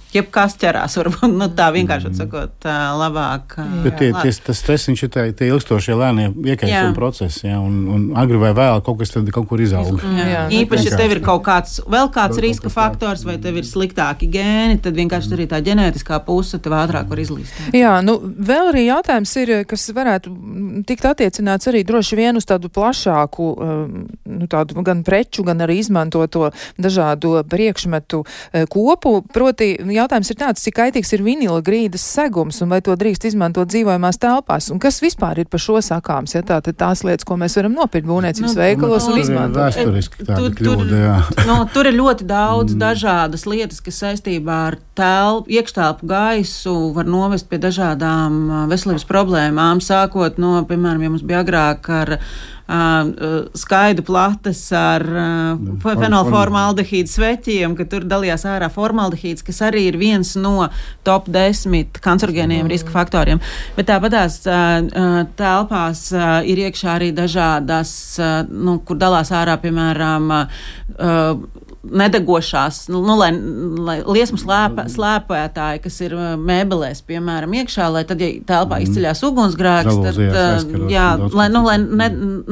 jebkas ķerās, varbūt tā vienkārši sakot, labāk. Bet tas stress, viņš ir tie ilgstošie lēnie iekaisuma procesi, un agri vai vēl kaut kas tad kaut kur izaug. Īpaši, ja tev ir kaut kāds riska faktors, vai tev ir sliktāki gēni, tad vienkārši arī tā ģenētiskā puse tev ātrāk var izlīst. Jā, vēl arī jautājums ir, kas varētu tikt attiecināts arī droši vien uz tādu plašāku, tādu gan preču, gan arī izmantoto dažādu priekšmetu kopu. Proti, jautājums ir tāds, cik kaitīgs ir vinila grīdas segums un vai to drīkst izmantot dzīvojamās telpās. Un kas vispār ir par šo sakāms? Ja tātad tās lietas, ko mēs varam nopirkt būvniecības veikalos un izmantot. Vēsturiski tāda kļūda, jā. Tur ir ļoti daudz dažādas lietas, kas saistībā ar iekštelpu gaisu var novest pie dažādām veselības problēmām, sākot no, piemēram, ja mums bija agrāk ar skaidu plates ar fenolformaldehīdu sveķiem, ka tur dalījās ārā formaldehīds, kas arī ir viens no top 10 kancerogēniem riska faktoriem. Bet tāpatās telpās ir iekšā arī dažādas, kur dalās ārā, piemēram, nedegošās, lai liesmu slēpētāji, kas ir mēbelēs, piemēram, iekšā, lai tad, ja telpā izceļās ugunsgrēks, tad, lai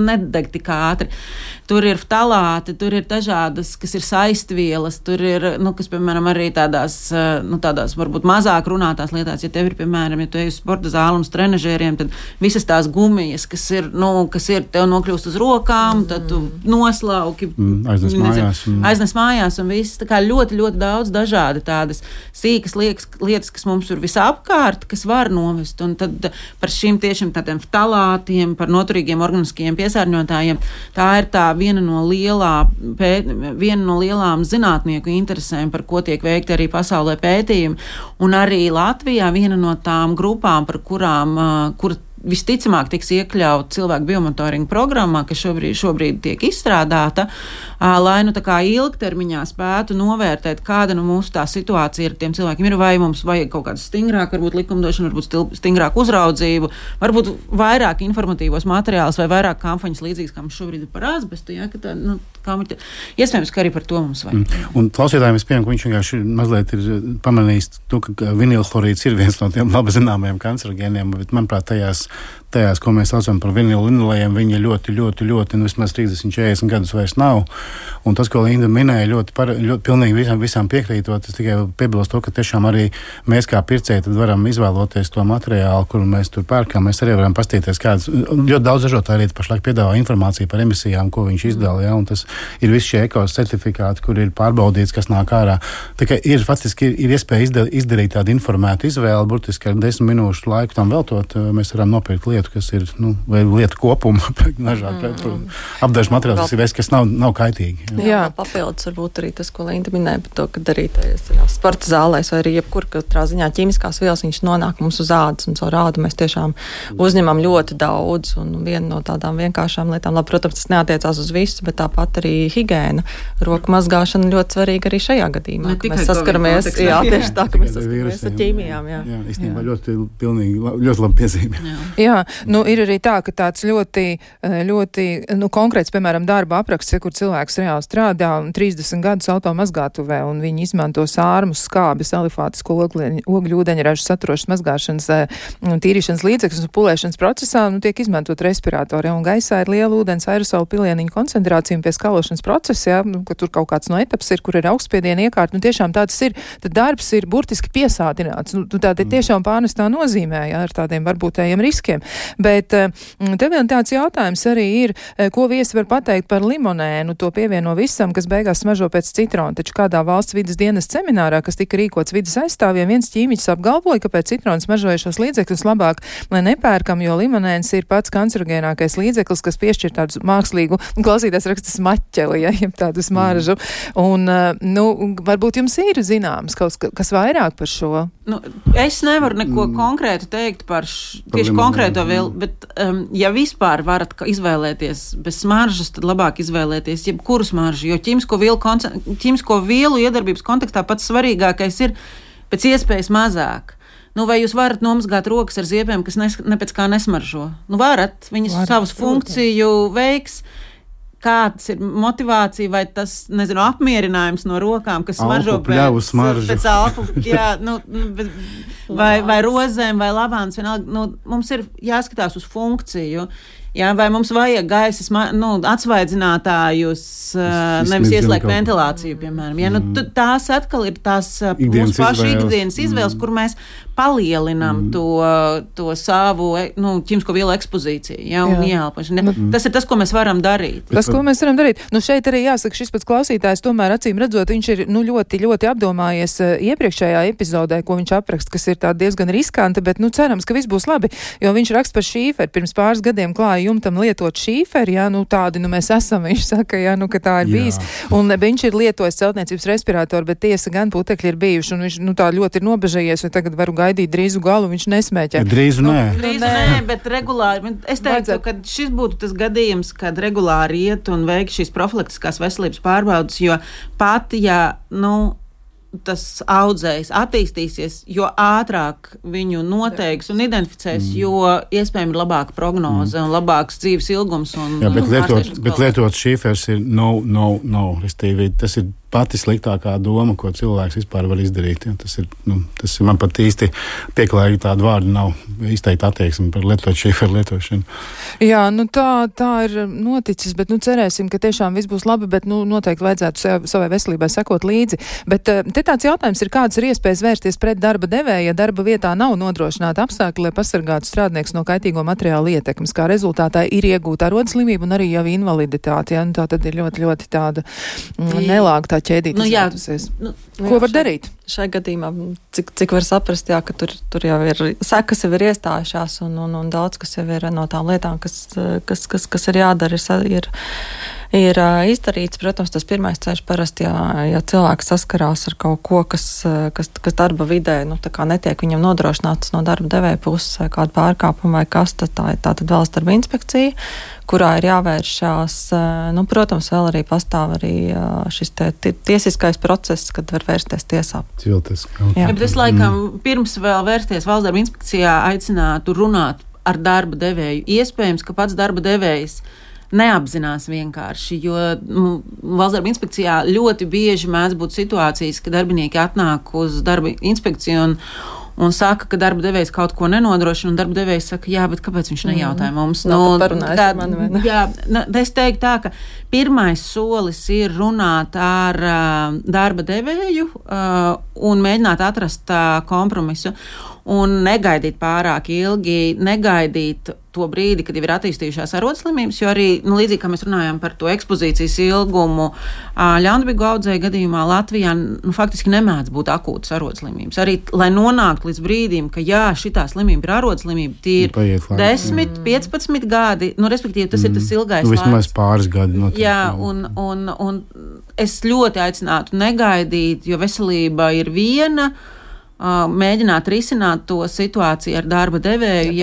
nedeg tik ātri. Tur ir ftalāti, tur ir dažādas, kas ir saistvielas, tur ir, kas, piemēram, arī tādās varbūt mazāk runātās lietās, ja tev ir, piemēram, ja tu ej uz sporta zāli un trenažieriem, tad visas tās gumijas, kas ir, tev nokļūst uz rokām, tad tu noslauki, aiznes mājās un viss, tā kā ļoti, ļoti daudz dažādi tādas sīkas lietas, kas mums ir visapkārt, kas var novest, un tad par šīm tiešām tādiem ftalātiem, par noturīgiem organiskajiem piesārņotājiem, tā ir tā viena no lielām zinātnieku interesēm, par ko tiek veikti arī pasaulē pētījumi, un arī Latvijā viena no tām grupām, par kurām, kur visticamāk tiks iekļaut cilvēku biomonitoringa programmā, kas šobrīd tiek izstrādāta, lai tā kā ilgtermiņā spētu novērtēt, kāda mūsu tā situācija ar tiem cilvēkiem ir, vai mums vajag kaut kādu stingrāku, varbūt likumdošanu, varbūt stingrāku uzraudzību, varbūt vairāk informatīvos materiālus vai vairāk kampaņas līdzīgas, kā mums šobrīd ir par asbestu, ka tā, iespējams, ka arī par to mums vajag. Un klausītājiem es pieņemu, ka viņš vienkārši mazliet ir pamanījis to, ka vinilhlorīds ir viens no tiem labi zināmajiem kancerogēniem, bet, manuprāt, tajās, ko mēs saucam par vinilinolējiem, viņi ļoti, vismaz 30-40 gadus vairs nav. Un tas, ko Linda minēja, ļoti pilnīgi visām piekrītot, es tikai piebilstu to, ka tiešām arī mēs kā pircēji tad varam izvēloties to materiālu, kuru mēs tur pērkam. Mēs arī varam pastīties, kādas ļoti daudz ražotāji arī pašlaik piedāvā informāciju par emisijām, ko viņš izdala, ja, un tas ir visi šie ekos certifikāti, kur ir pārbaudīts, kas nāk ārā. Tā kā faktiski ir iespēja izdarīt tādu informētu izvēli, burtiski ar 10 minūšu laiku tam veltot, mēs varam nopirkt lietu, kas ir, vai lietu kopumu, apdažu materiāls, kas nav kaitīgi. Jā, papildus varbūt arī tas, ko Linda minēja par to, ka arī sporta zālēs vai arī katrā ziņā ķīmiskās vielas viņš nonāk mums uz ādas, un caur ādu mēs tiešām uzņemam ļoti daudz, un viena no tādām vienkāršām lietām, labi, protams, tas neatiecās uz visu, bet tāpat arī higiēna, roku mazgāšana ļoti svarīga arī šajā gadījumā, ka mēs saskaramies, tieši tā, ka mēs saskaramies ar ķīmijām, jā. Jā, īstenībā ļoti labi piezīme. Jā, ir arī tā, ka tāds ļoti konkrēts, piemēram, darba apraksts, kur cilvēks reāli strādā 30 gadus automazgātuvē, un viņi izmanto sārmus, skābes, alifātisko ogļu ūdeņražu saturošas mazgāšanas, tīrīšanas līdzekļus un pulēšanas procesā, tiek izmantot respiratori, un gaisā ir liela ūdens aerosolu pilieniņu koncentrācija pie skalošanas procesa, ka tur kaut kāds no etaps ir, kur ir augstspiediena iekārta, tiešām tāds ir, tad darbs ir burtiski piesātināts, tā tiešām pārnestā nozīmē, ar tādiem varbūtējiem riskiem. Bet te vēl tāds jautājums arī ir, ko viesi var pateikt par limonēnu, to pievieno visam, kas beigās smaržo pēc citrona. Taču kādā valsts vides dienas seminārā, kas tika rīkots vides aizstāvjiem, viens ķīmiķis apgalvoja, ka pēc citrona smaržojušos līdzekļus labāk, lai nepērkam, jo limonēns ir pats kancerogēnākais līdzeklis, kas piešķir tādu mākslīgu, klausītājs raksta smaķeli, ja tādu smaržu. Un, varbūt jums ir zināms kas vairāk par šo? Es nevaru neko konkrētu teikt par tieši konkrēto vielu, bet ja vispār varat izvēlēties bez smaržas, tad labāk izvēlēties jebkuru smaržu, jo ķīmisko vielu iedarbības kontekstā pats svarīgākais ir pēc iespējas mazāk. Vai jūs varat nomazgāt rokas ar ziepēm, kas ne pēc kā nesmaržo? Varat, viņas savus funkciju veiks. Kāds ir motivācija vai tas, apmierinājums no rokām, kas smaržo pēc alpu, vai rozēm, vai lavāns, vienalga, mums ir jāskatās uz funkciju. Jā, vai mums vajag gaisa atsvaidzinātājus, nevis ieslēgt ventilāciju, piemēram. Ja, tās atkal ir tās mūsu pašu ikdienas izvēles, kur mēs palielinam to savu ķīmisko vielu ekspozīciju, un ieelpošanu. Tas ir tas, ko mēs varam darīt. Ko mēs varam darīt? Šeit arī jāsaka, šis pats klausītājs tomēr acīm redzot, viņš ir ļoti, ļoti apdomājies iepriekšējā epizodē, ko viņš apraksta, kas ir tāda diezgan riskanti, bet cerams, ka viss būs labi, jo viņš raksta par šīferi. Pirms pāris gadiem klāja jumtam lietot šīferi, tādi mēs esam, viņš saka, ka tā ir bijis. Un viņš ir lietojis celtniecības respiratoru, bet tiesa gan putekļi ir bijuši, un viņš tā ļoti ir nobežējies, un tagad varu gaidīt drīzu galu, viņš nesmēķē. Drīzu nē, bet regulāri. Es teiktu, ka šis būtu tas gadījums, kad regulāri iet un veikt šīs profilaktiskās veselības pārbaudas, jo pat, tas audzējs attīstīsies, jo ātrāk viņu noteiks un identificēs, jo iespējami ir labāka prognoze un labāks dzīves ilgums. Bet lietot šīfers ir no. Restīvi, tas ir pati sliktākā doma, ko cilvēks vispār var izdarīt. Ja? Tas ir man pat īsti pieklājīgi tādu vārdu nav izteikti attieksmi par šīferu lietošanu. Jā, tā ir noticis, bet cerēsim, ka tiešām viss būs labi, bet noteikti vajadzētu savai veselībai sekot līdzi. Bet te tāds jautājums ir, kādas ir iespējas vērsties pret darba devēja, ja darba vietā nav nodrošināta apstākļi, lai pasargātu strādnieks no kaitīgo materiālu ietekmes, kā rezultātā ir iegūta arodslimība un arī jau invaliditāte. Ja? Tā tad ir ļoti, ļoti tāda nelāga ķēdīt izvērtusies. Ko var darīt? Šai gadījumā, cik var saprast, ka tur jau ir sekas jau ir iestājušās un daudz, kas jau ir no tām lietām, kas ir jādara, ir ir izdarīts. Protams, tas pirmais ceļš parasti, ja cilvēks saskarās ar kaut ko, kas darba vidē, tā kā netiek viņam nodrošināts no darba devēja puses vai kādu pārkāpumu vai kas, tad tā ir tātad valsts darba inspekcija, kurā ir jāvēršās. Protams, vēl arī pastāv arī šis tiesiskais process, kad var vērsties tiesā. Jā, bet es laikam pirms vēl vērsties valsts darba inspekcijā aicinātu runāt ar darba devēju. Iespējams, ka pats darba devējs neapzinās vienkārši, jo valsts darba inspekcijā ļoti bieži mēdz būt situācijas, ka darbinieki atnāk uz darba inspekciju un saka, ka darba devējs kaut ko nenodrošina, un darba devējs saka, jā, bet kāpēc viņš nejautāja mums? Es teiktu tā, ka pirmais solis ir runāt ar darba devēju un mēģināt atrast kompromisu. Un negaidīt pārāk ilgi, negaidīt to brīdi, kad jau ir attīstījušās arodslimības, jo arī, līdzīgi kā mēs runājam par to ekspozīcijas ilgumu, ļaunprātīgu audzēju gadījumā Latvijā faktiski nemēdz būt akūtas arodslimības. Arī, lai nonāktu līdz brīdim, ka jā, šitā slimība ir arodslimība, tie ir 10, 15 gadi, respektīvi tas ir tas ilgais laiks. Vismaz pāris gadi notiek. Jā, un es ļoti aicinātu negaidīt, jo veselība ir viena, mēģināt risināt to situāciju ar darba devēju,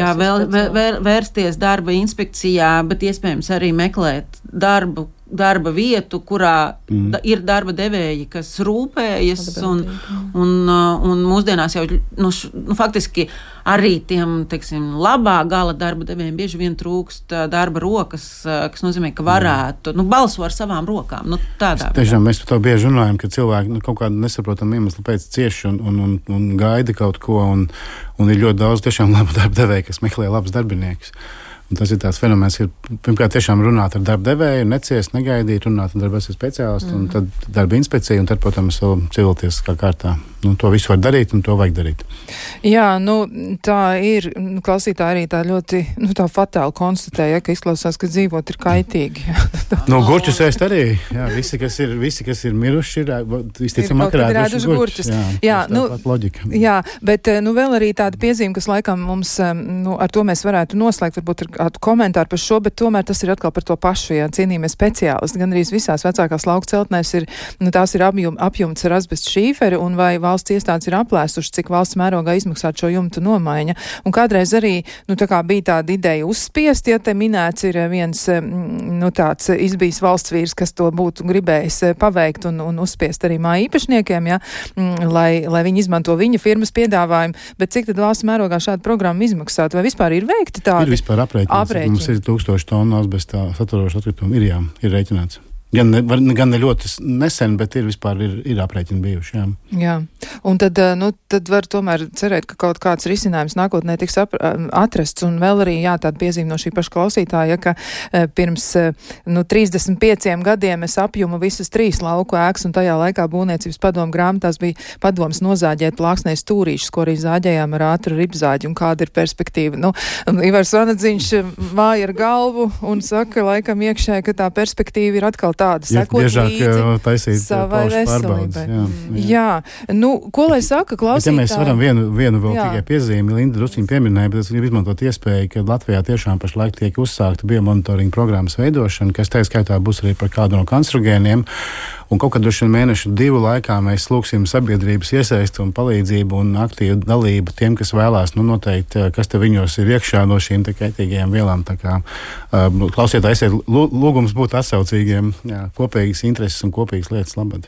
vērsties darba inspekcijā, bet iespējams arī meklēt darba vietu, kurā ir darba devēji, kas rūpējas, un mūsdienās jau faktiski arī tiem, teiksim, labā gala darba devējiem bieži vien trūkst darba rokas, kas nozīmē, ka varētu, balso ar savām rokām. Tiešām mēs par to bieži runājam, ka cilvēki kaut kādu nesaprotamu iemeslu pēc cieši un gaida kaut ko, un ir ļoti daudz tiešām labu darba devēju, kas meklē labus darbiniekus. Un tas ir tāds fenomens, ka pirmkārt tiešām runāt ar darba devēju, neciest, negaidīt, runāt ar darba speciālistu, un tad darba inspekcija, un tad, protams, vēl civiltiesiskā kārtā. To visu var darīt, un to vajag darīt. Jā, tā ir, klausītāji arī tā ļoti, tā fatāli konstatēja, ka izklausās, ka dzīvot ir kaitīgi. Gurķus ēst arī, jā, visi, kas ir miruši, ir visticamāk rēduši gurķus. Jā, loģika. Jā, bet, vēl arī tāda piezīme, kas laikam mums, ar to mēs varētu noslēgt, varbūt ir kādu komentāru par šo, bet tomēr tas ir atkal par to pašu, cienījamie speciālisti. Gan arī visās vecākās lauku celtnēs ir, tās ir apjumts ar asbestu šīferi, un vai valsts iestādes ir aplēsuši, cik valsts mērogā izmaksāt šo jumtu nomaiņa. Un kādreiz arī, tā kā bija tāda ideja uzspiest, ja te minēts ir viens, tāds izbijis valsts vīrs, kas to būtu gribējis paveikt un uzspiest arī māju īpašniekiem, lai viņi izmanto viņa firmas piedāvājumu, bet cik tad valsts mērogā šāda programma izmaksāt? Vai vispār ir veikti tādi? Ir vispār aprēķināts. Mums ir 1000 tonu asbestā saturošu atkritumu. Ir rēķināts. Gan ne ļoti nesen, bet ir aprēķini bijuši. Jā. Un tad var tomēr cerēt, ka kaut kāds risinājums nākotnē tiks atrasts. Un vēl arī, tāda piezīme no šī paša klausītāja, ka pirms 35 gadiem es apjumu visas 3 lauku ēkas, un tajā laikā būvniecības padomu grāmatās bija padoms nozāģēt plāksnē stūrīšus, ko arī zāģējām ar ātru ribzāģi, un kāda ir perspektīva. Ivars Vanadziņš māja ar galvu un saka, laikam iekšē, ka tā perspektīva ir atkal tāda, sekot līdzi savai veselībai. Jā. Ko lai saka klausītāji? Ja mēs varam vienu vēl tikai piezīmi, Linda drusciņi pieminēja, bet es gribu izmantot iespēju, ka Latvijā tiešām pašlaik tiek uzsākta biomonitoringa programmas veidošana, kas tā skaitā būs arī par kādu no kancerogēniem. Un kaut kad droši vien 1-2 laikā mēs lūgsim sabiedrības iesaisti un palīdzību un aktīvu dalību tiem, kas vēlās noteikt, kas te viņos ir iekšā no šīm kaitīgajām vielām. Tā kā klausiet, lūgums būt atsaucīgiem, kopīgas intereses un kopīgas lietas labad.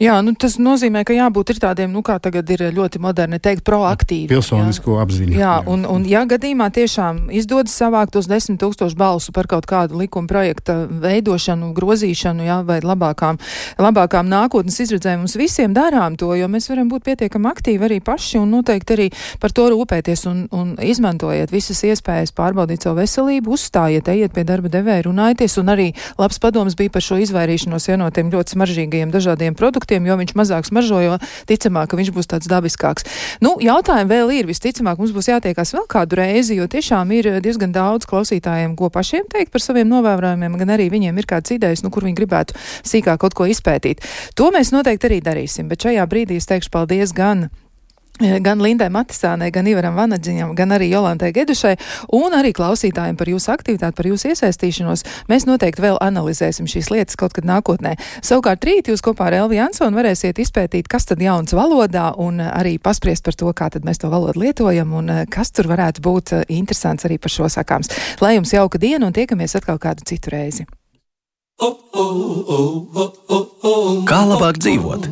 Jā, tas nozīmē, ka jābūt ir tādiem, kā tagad ir ļoti moderni teikt, proaktīvi. Pilsonisko apziņu. Jā, un ja gadījumā tiešām izdodas savākt tos 10 000 balsu par kaut kādu likuma projekta veidošanu, grozīšanu, vai labākām nākotnes izredzēm, mums visiem darām to, jo mēs varam būt pietiekami aktīvi arī paši un noteikti arī par to rūpēties un izmantojiet visas iespējas pārbaudīt savu veselību, uzstājiet, ejiet pie darba devēja, runājieties, un arī labs padoms bija par šo izvairīšanos no tiem ļoti smaržīgajiem dažādiem produktiem, jo viņš mazāk smaržo, jo ticamāk, ka viņš būs tāds dabiskāks. Jautājumi vēl ir, visticamāk, mums būs jātiekās vēl kādu reizi, jo tiešām ir diezgan daudz klausītājiem, ko pašiem teikt par saviem novērojumiem, gan arī viņiem ir kādas idejas, kur viņi gribētu sīkāk kaut ko izpētīt. To mēs noteikti arī darīsim, bet šajā brīdī es teikšu paldies gan gan Lindai Matisānai, gan Ivaram Vanaģiņam, gan arī Jolantai Gedušai, un arī klausītājiem par jūsu aktivitāti, par jūsu iesaistīšanos. Mēs noteikti vēl analizēsim šīs lietas kaut kad nākotnē. Savukārt rīt jūs kopā ar Elvi Jansonu varēsiet izpētīt, kas tad jauns valodā, un arī paspriest par to, kā tad mēs to valodu lietojam, un kas tur varētu būt interesants arī par šo sakāms. Lai jums jauka diena, un tiekamies atkal kādu citu reizi. Kā labāk dzīvot?